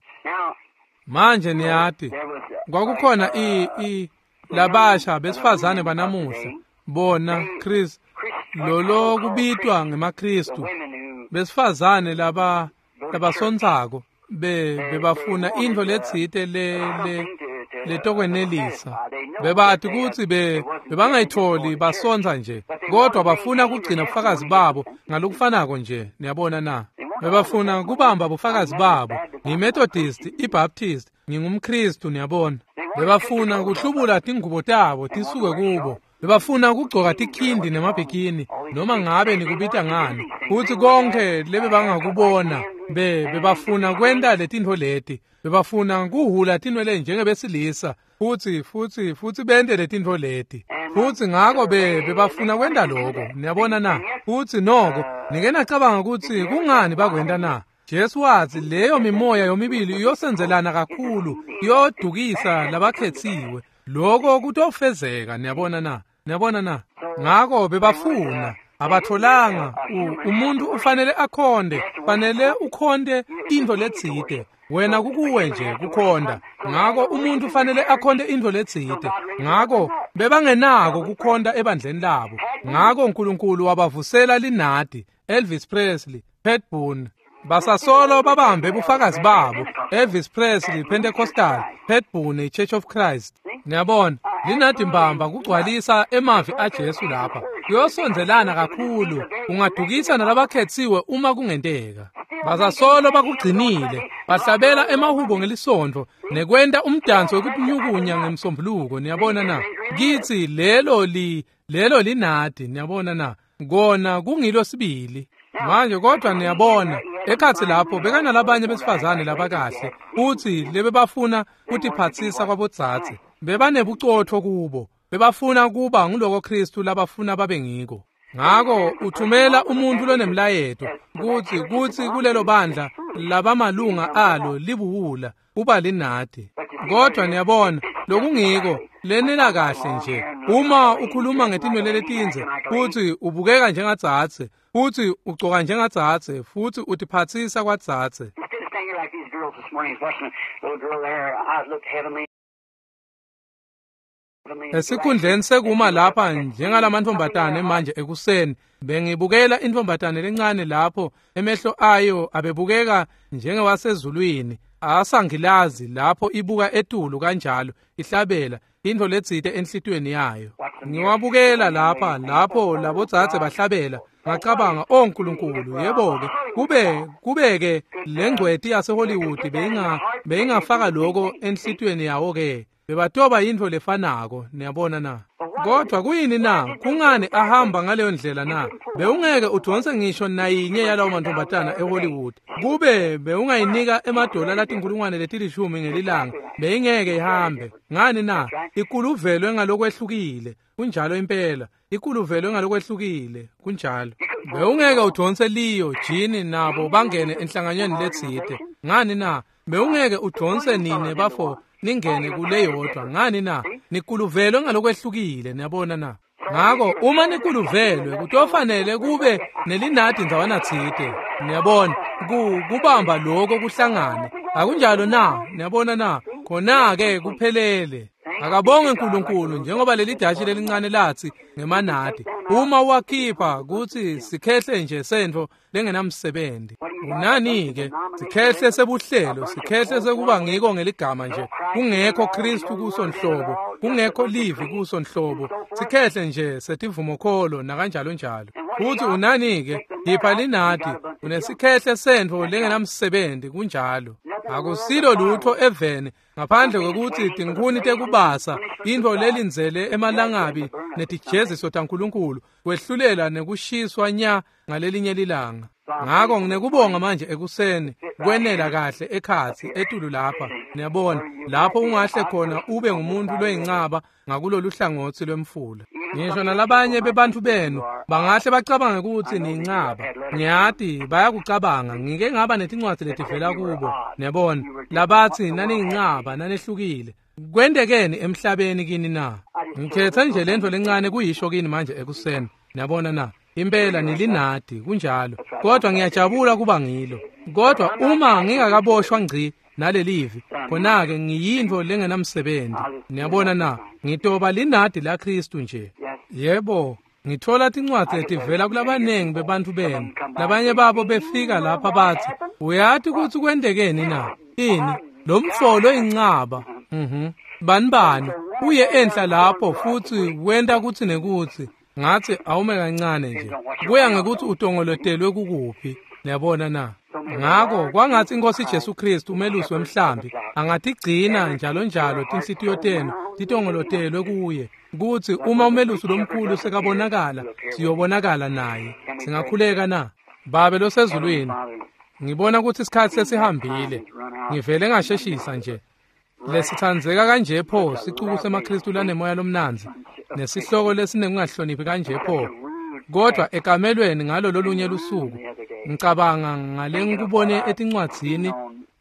Manje niyati, kwakukhona i i labasha besifazane banamuhla, bona Chris lolo kubitwa ngemaKristu, besifazane laba labasontsako be bebafuna intfo letsite le le letokwenelisa. Bebati kutsi be bebangayitholi basontsa nje, kodwa bafuna kugcina bufakazi babo ngalokufanako nje. Niyabona na? Bebafuna kubamba bufakazi babo. NgiMethodist, iBaptist, ngingumKristu, niyabona. Bebafuna kuhlubula tingubo tabo tisuke kubo. Bebafuna kugcoka tikhindi nemabhikini, noma ngabe nikubita ngani. Futsi konke lebebangakubona, be bebafuna kwenta letintfo leti. Bebafuna kuhhula tinwele njengebesilisa, futsi futsi futsi bente letintfo leti. Futsi ngako be bebafuna kwenta lokho. Niyabona na? Futsi noko nike nacabanga kutsi kungani bakwenta na? Jesu watsi leyo mimoya yomibili iyosenzelana kakhulu, iyodukisa labakhetsiwe. Lokho kutofezeka, niyabona na? Niyabona na? Ngako bebafuna abatholanga. Umuntu ufanele akhonde, fanele ukhonde intfo letsite. Wena kukuwe nje kukhonda. Ngako umuntu ufanele akhonde intfo letsite. Ngako bebangenako kukhonda ebandleni labo. Ngako uNkulunkulu wabavusela linadi, Elvis Presley, Pat Boone. Basasolo babambe bufakazi babo, Elvis Presley, Pentecostal, Pat Boone, Church of Christ. Niyabona, linadi mbamba kugcwalisa emavi aJesu lapha. Kuyosondzelana kakhulu, ungadukisa nalabakhetsiwe uma kungenteka. Basasolo bakugcinile, bahlabela emahubo ngelisontfo nekwenta umdanso wekutinyukunya ngemsombuluko. Niyabona na? Kitsi lelo li lelo linadi, niyabona na? Kona kungilo sibili. Manje kodwa niyabona, ekhatsi lapho bekanalabanye besifazane labakahle, futsi lebebafuna kutiphatsisa kwabodzadze. Bebanebucotfo kubo, bebafuna kuba nguloko Kristu labafuna babe ngiko. Ngako uthumela umuntu lonemlayeto kutsi kutsi kulelo bandla labamalunga alo libuwula uba linadi. Kodwa niyabona, lokungiko lenela kahle nje. Uma ukhuluma ngetinwele letindze, futsi ubukeka njengadzadze, futsi ugcoka njengadzadze, futsi utiphatsisa kwadzadze. Esikhundleni sekuma lapha njengalamantfombatane manje ekuseni, bengibukela intfombatane lencane lapho emehlo ayo abebukeka njengewasezulwini, asangilazi lapho ibuka etulu kanjalo, ihlabela intfo letsite enhlitiyweni yayo. Ngiwabukela lapha lapho labodzadze bahlabela, ngacabanga, oh Nkulunkulu, yebo-ke, kube kubeke lengcweti yaseHollywood beyinga beyingafaka lokho enhlitiyweni yawo-ke. Bebatoba yintfo lefanako, niyabona na? Kodwa kuyini na? Kungani ahamba ngaleyo ndlela na? Bewungeke udonse ngisho nayinye yalawo mantfombatana eHollywood. Kube bewungayinika emadola latinkhulungwane letilishumi ngelilanga, beyingeke ihambe. Ngani na? Ikuluvelwe ngalokwehlukile. Kunjalo impela. Ikuluvelwe ngalokwehlukile. Kunjalo. Bewungeke udonse Leo, Jean nabo bangene enhlanganyweni letsite. Ngani na? Bewungeke udonse nine bafo ningene kuleyodwa. Ngani na? Nikuluvelwe ngalokwehlukile, niyabona na? Ngako uma nikuluvelwe kutofanele kube nelinadi ndzawana tsite, niyabona, ku kubamba lokho kuhlangane. Akunjalo na? Niyabona na? Khona-ke kuphelele. Akabonge uNkulunkulu njengoba leli dashi lelincane lathi ngemanadi. Uma wakhipha kuthi sikhehle nje sentfo lengenamsebenzi. Unani-ke sikhehle sebuhlelo, sikhehle sekuba ngiko ngeligama nje. Kungekho Kristu kuso nhlobo, kungekho livi kuso nhlobo. Sikhehle nje setivumokholo nakanjalo njalo. Futhi unani-ke khipha linadi, unesikhehle sentfo lengenamsebenzi kunjalo. Akusilo lutho eveni ngaphandle kwekuthi tinkhuni tekubasa, intfo lelindzele emalangabi netijeziso taNkulunkulu, kwehlulela nekushiswa nya ngalelinye lilanga. Ngako nginekubonga manje ekuseni kwenela kahle ekhatsi etulu lapha, niyabona, lapho ungahle khona ube ngumuntu loyincaba ngakulolu hlangotsi lwemfula. Ngisho nalabanye bebantfu benu bangahle bacabange kutsi niyincaba. Ngiyati bayakucabanga, ngike ngaba netincwadzi letivela kubo, niyabona, labatsi naniyincaba nanehlukile. Kwentekeni emhlabeni kini na? Ngikhethe nje lentfo lencane kuyisho kini manje ekuseni, niyabona na? Impela nilinadi kunjalo, kodwa ngiyajabula kuba ngilo. Kodwa uma ngingakaboshwa ngci nalelivi, khona-ke ngiyintfo lengenamsebenzi, niyabona na? Ngitoba linadi laKristu nje. Yebo, ngithola tincwadzi letivela kulabanengi bebantfu benu. Labanye babo befika lapha bathi, uyati kutsi kwentekeni na? Ini? Lo mfo loyincaba. Mhm. Bani bani uye enhla lapho futsi wenta kutsi nekutsi. Ngathi awume kancane nje. Kuya ngekuthi utongolotelwe kukuphi, niyabona na? Ngako kwangathi iNkosi Jesu Kristu umelusi wemhlambi angatigcina njalo njalo tinhlitiyo tenu titongolotelwe kuye, kutsi uma umelusi lomkhulu sekabonakala siyobonakala naye. Singakhuleka na? Babe losezulwini, ngibona kutsi isikhatsi sesihambile. Ngivele ngasheshisa nje. Lesitsandzeka kanje pho sicuku semaKristu lanemoya lomnandzi nesihloko lesinekungahloniphi kanje pho. Kodwa ekamelweni ngalo lolunye lusuku ngicabanga ngale ngikubone etincwadzini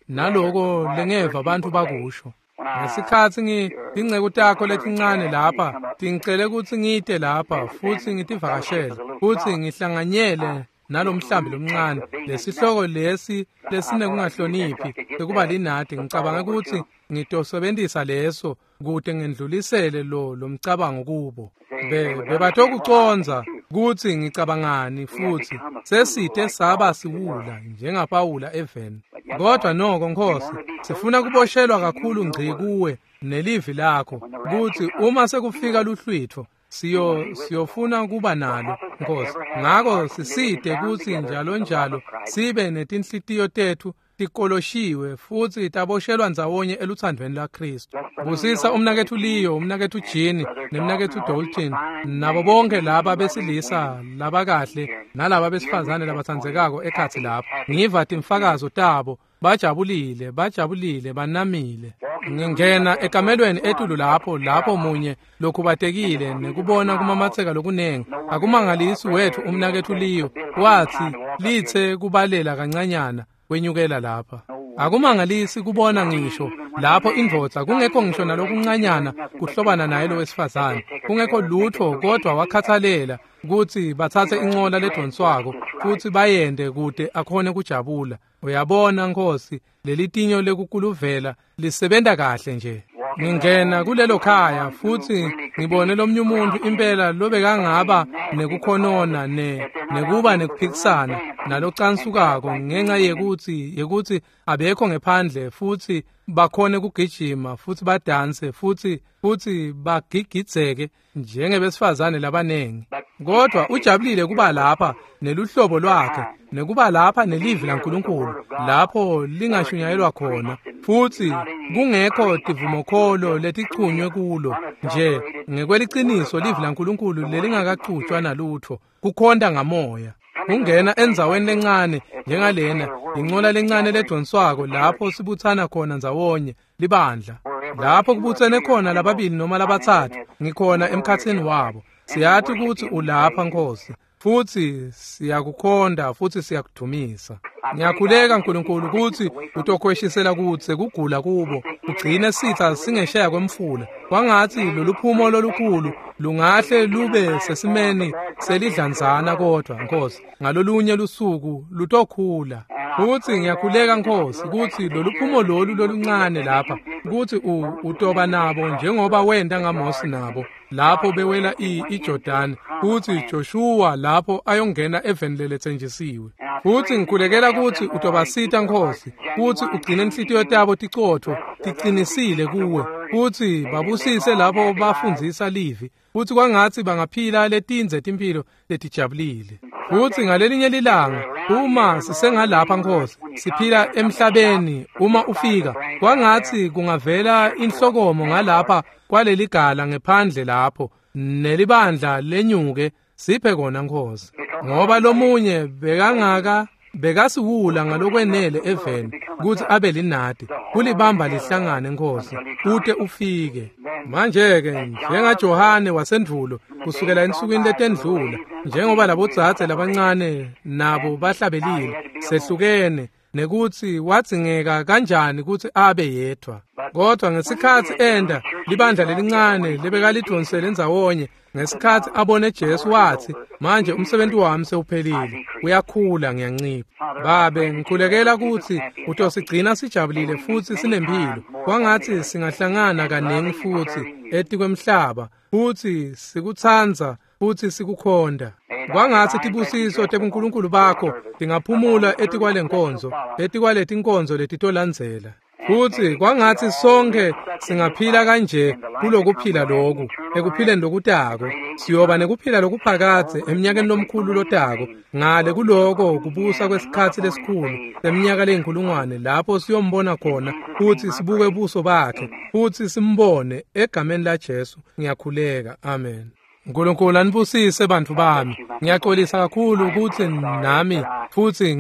naloko lengeva bantfu bakusho. Ngesikhatsi ngitinceku takho letincane lapha tingicele kutsi ngite lapha futsi ngitivakashele futsi ngihlanganyele nalomhlambi lomncane. Lesihloko lesi lesinekungahloniphi sekuba linadi, ngicabanga kutsi ngitosebentisa leso kute ngendlulisele lo lomcabango kubo. Be bebatokucondza kutsi ngicabangani futsi sesite saba siwula njengaPawula eveni. Kodwa noko Nkosi, sifuna kuboshelwa kakhulu ngci kuwe nelivi lakho kutsi uma sekufika luhlwitfo siyo siyofuna kuba nalo Nkosi. Ngako sisite kutsi njalo njalo sibe netinhlitiyo tetfu tikoloshiwe futsi taboshelwa ndzawonye eluthandweni lwaKristu. Busisa umnaketfu Leo, umnaketfu Jean, nemnaketfu Dalton, nabo bonke laba besilisa labakahle nalaba besifazane labatsandzekako ekhatsi lapha. Ngiva timfakazo tabo, bajabulile, bajabulile, banamile. Ngingena ekamelweni etulu lapho, lapho munye lokhubatekile nekubona kumamatseka lokunengi. Akumangalisi wethu umnaketfu Leo wathi lithe kubalela kancanyana wenyukela lapha. Akumangalisi kubona ngisho lapho indvodza kungekho ngisho nalokuncanyana kuhlobana naye lo wesifazane, kungekho lutho, kodwa wakhathalela kutsi batsatse incola ledonswako futsi bayende kute akhone kujabula. Uyabona Nkosi, lelitinyo lekukuluvela lisebenta kahle nje. Ngingena kulelo khaya futsi ngibone lomnye umuntu impela lobekangaba nekukhonona ne nekuba nekuphikisana nalocansukako ngenxa yekutsi yekutsi abekho ngephandle futsi bakhone kugijima futsi badanse futsi futsi bagigidzeke njengebesifazane labanengi. Kodwa ujabulile kuba lapha neluhlobo lwakhe nekuba lapha nelivi laNkulunkulu lapho lingashunyayelwa khona futsi kungekho tivumokholo letichunywe kulo nje ngekweliciniso livi laNkulunkulu lelingakachutshwa nalutho, kukhonta ngamoya. Kungena endzaweni lencane njengalena, incola lencane ledonswako lapho sibutsana khona ndzawonye libandla, lapho kubutsene khona lababili noma labatsatfu, ngikhona emkhatsini wabo. Siyati kutsi ulapha Nkosi. Futsi siyakukhonda futsi siyakudumisa. Ngiyakhuleka Nkulunkulu kutsi utokhweshisela kudze kugula kubo, ugcine sitsa singeshaya kwemfula. Kwangatsi loluphumo lolukhulu lungahle lube sesimeni selidlanzana kodwa Nkosi, ngalolunye lusuku lutokhula. Futsi ngiyakhuleka Nkosi kutsi loluphumo lolu loluncane lapha kutsi utoba nabo njengoba wenta ngaMose nabo lapho bewela iJordan, futsi Joshua lapho ayongena eveni leletsenjisiwe. Futsi ngikhulekela kutsi utobasita Nkosi, kutsi ugcine inhlitiyo tabo ticotfo ticinisile kuwe, futsi babusise lapho bafundzisa livi, futsi kwangatsi bangaphila letindze timphilo letijabulile. Futsi ngalelinye lilanga uma sisengalapha Nkosi, siphila emhlabeni, uma ufika kwangatsi kungavela inhlokomo ngalapha kwaleligala ngephandle lapho nelibandla lenyuke, siphe kona Nkosi, ngoba lomunye bekangaka bekasiwula ngalokwenele eveni kutsi abe linadi kulibamba lihlangane Nkosi ute ufike. Manje-ke njengaJohane wasendvulo kusukela ensukwini letendlula, njengoba labodzadze labancane nabo bahlabelile sehlukene, nekutsi wadzingeka kanjani kutsi abe yedvwa. Kodwa ngesikhatsi enda libandla lelincane lebekalidvonsele endzawonye, ngesikhatsi abone Jesu watsi, manje umsebenzi wami sewuphelile, uyakhula ngiyancipha. Babe, ngikhulekela kutsi utosigcina sijabulile futsi sinemphilo, kwangatsi singahlangana kaningi futsi etikwemhlaba, futsi sikutsandza futsi sikukhonda. Kwangatsi tibusiso tebuNkulunkulu bakho tingaphumula etikwalenkonzo, etikwaletinkonzo letitolandzela. Futsi kwangatsi sonke singaphila kanje kulokuphila loku, ekuphileni lokutako, siyoba nekuphila lokuphakadze eminyakeni lomkhulu lotako, ngale kuloko kubusa kwesikhatsi lesikhulu seminyaka leyinkulungwane, lapho siyombona khona futsi sibuke buso bakhe futsi simbone. Egameni la Jesu ngiyakhuleka, amen. Nkulunkulu anibusise bantfu bami. Ngiyaxolisa kakhulu kutsi nami futsi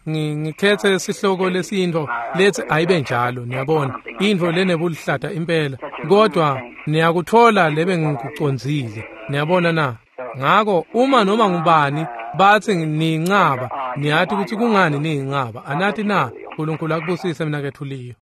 ngikhethe sihloko lesintfo letsi ayibe njalo, niyabona, intfo lenebulihlata impela, kodwa niyakuthola lebe ngikucondzile, niyabona na? Ngako uma noma ngubani batsi niyincaba, niyati kutsi kungani niyincaba, anati na? Nkulunkulu akubusise mina kethuliyo.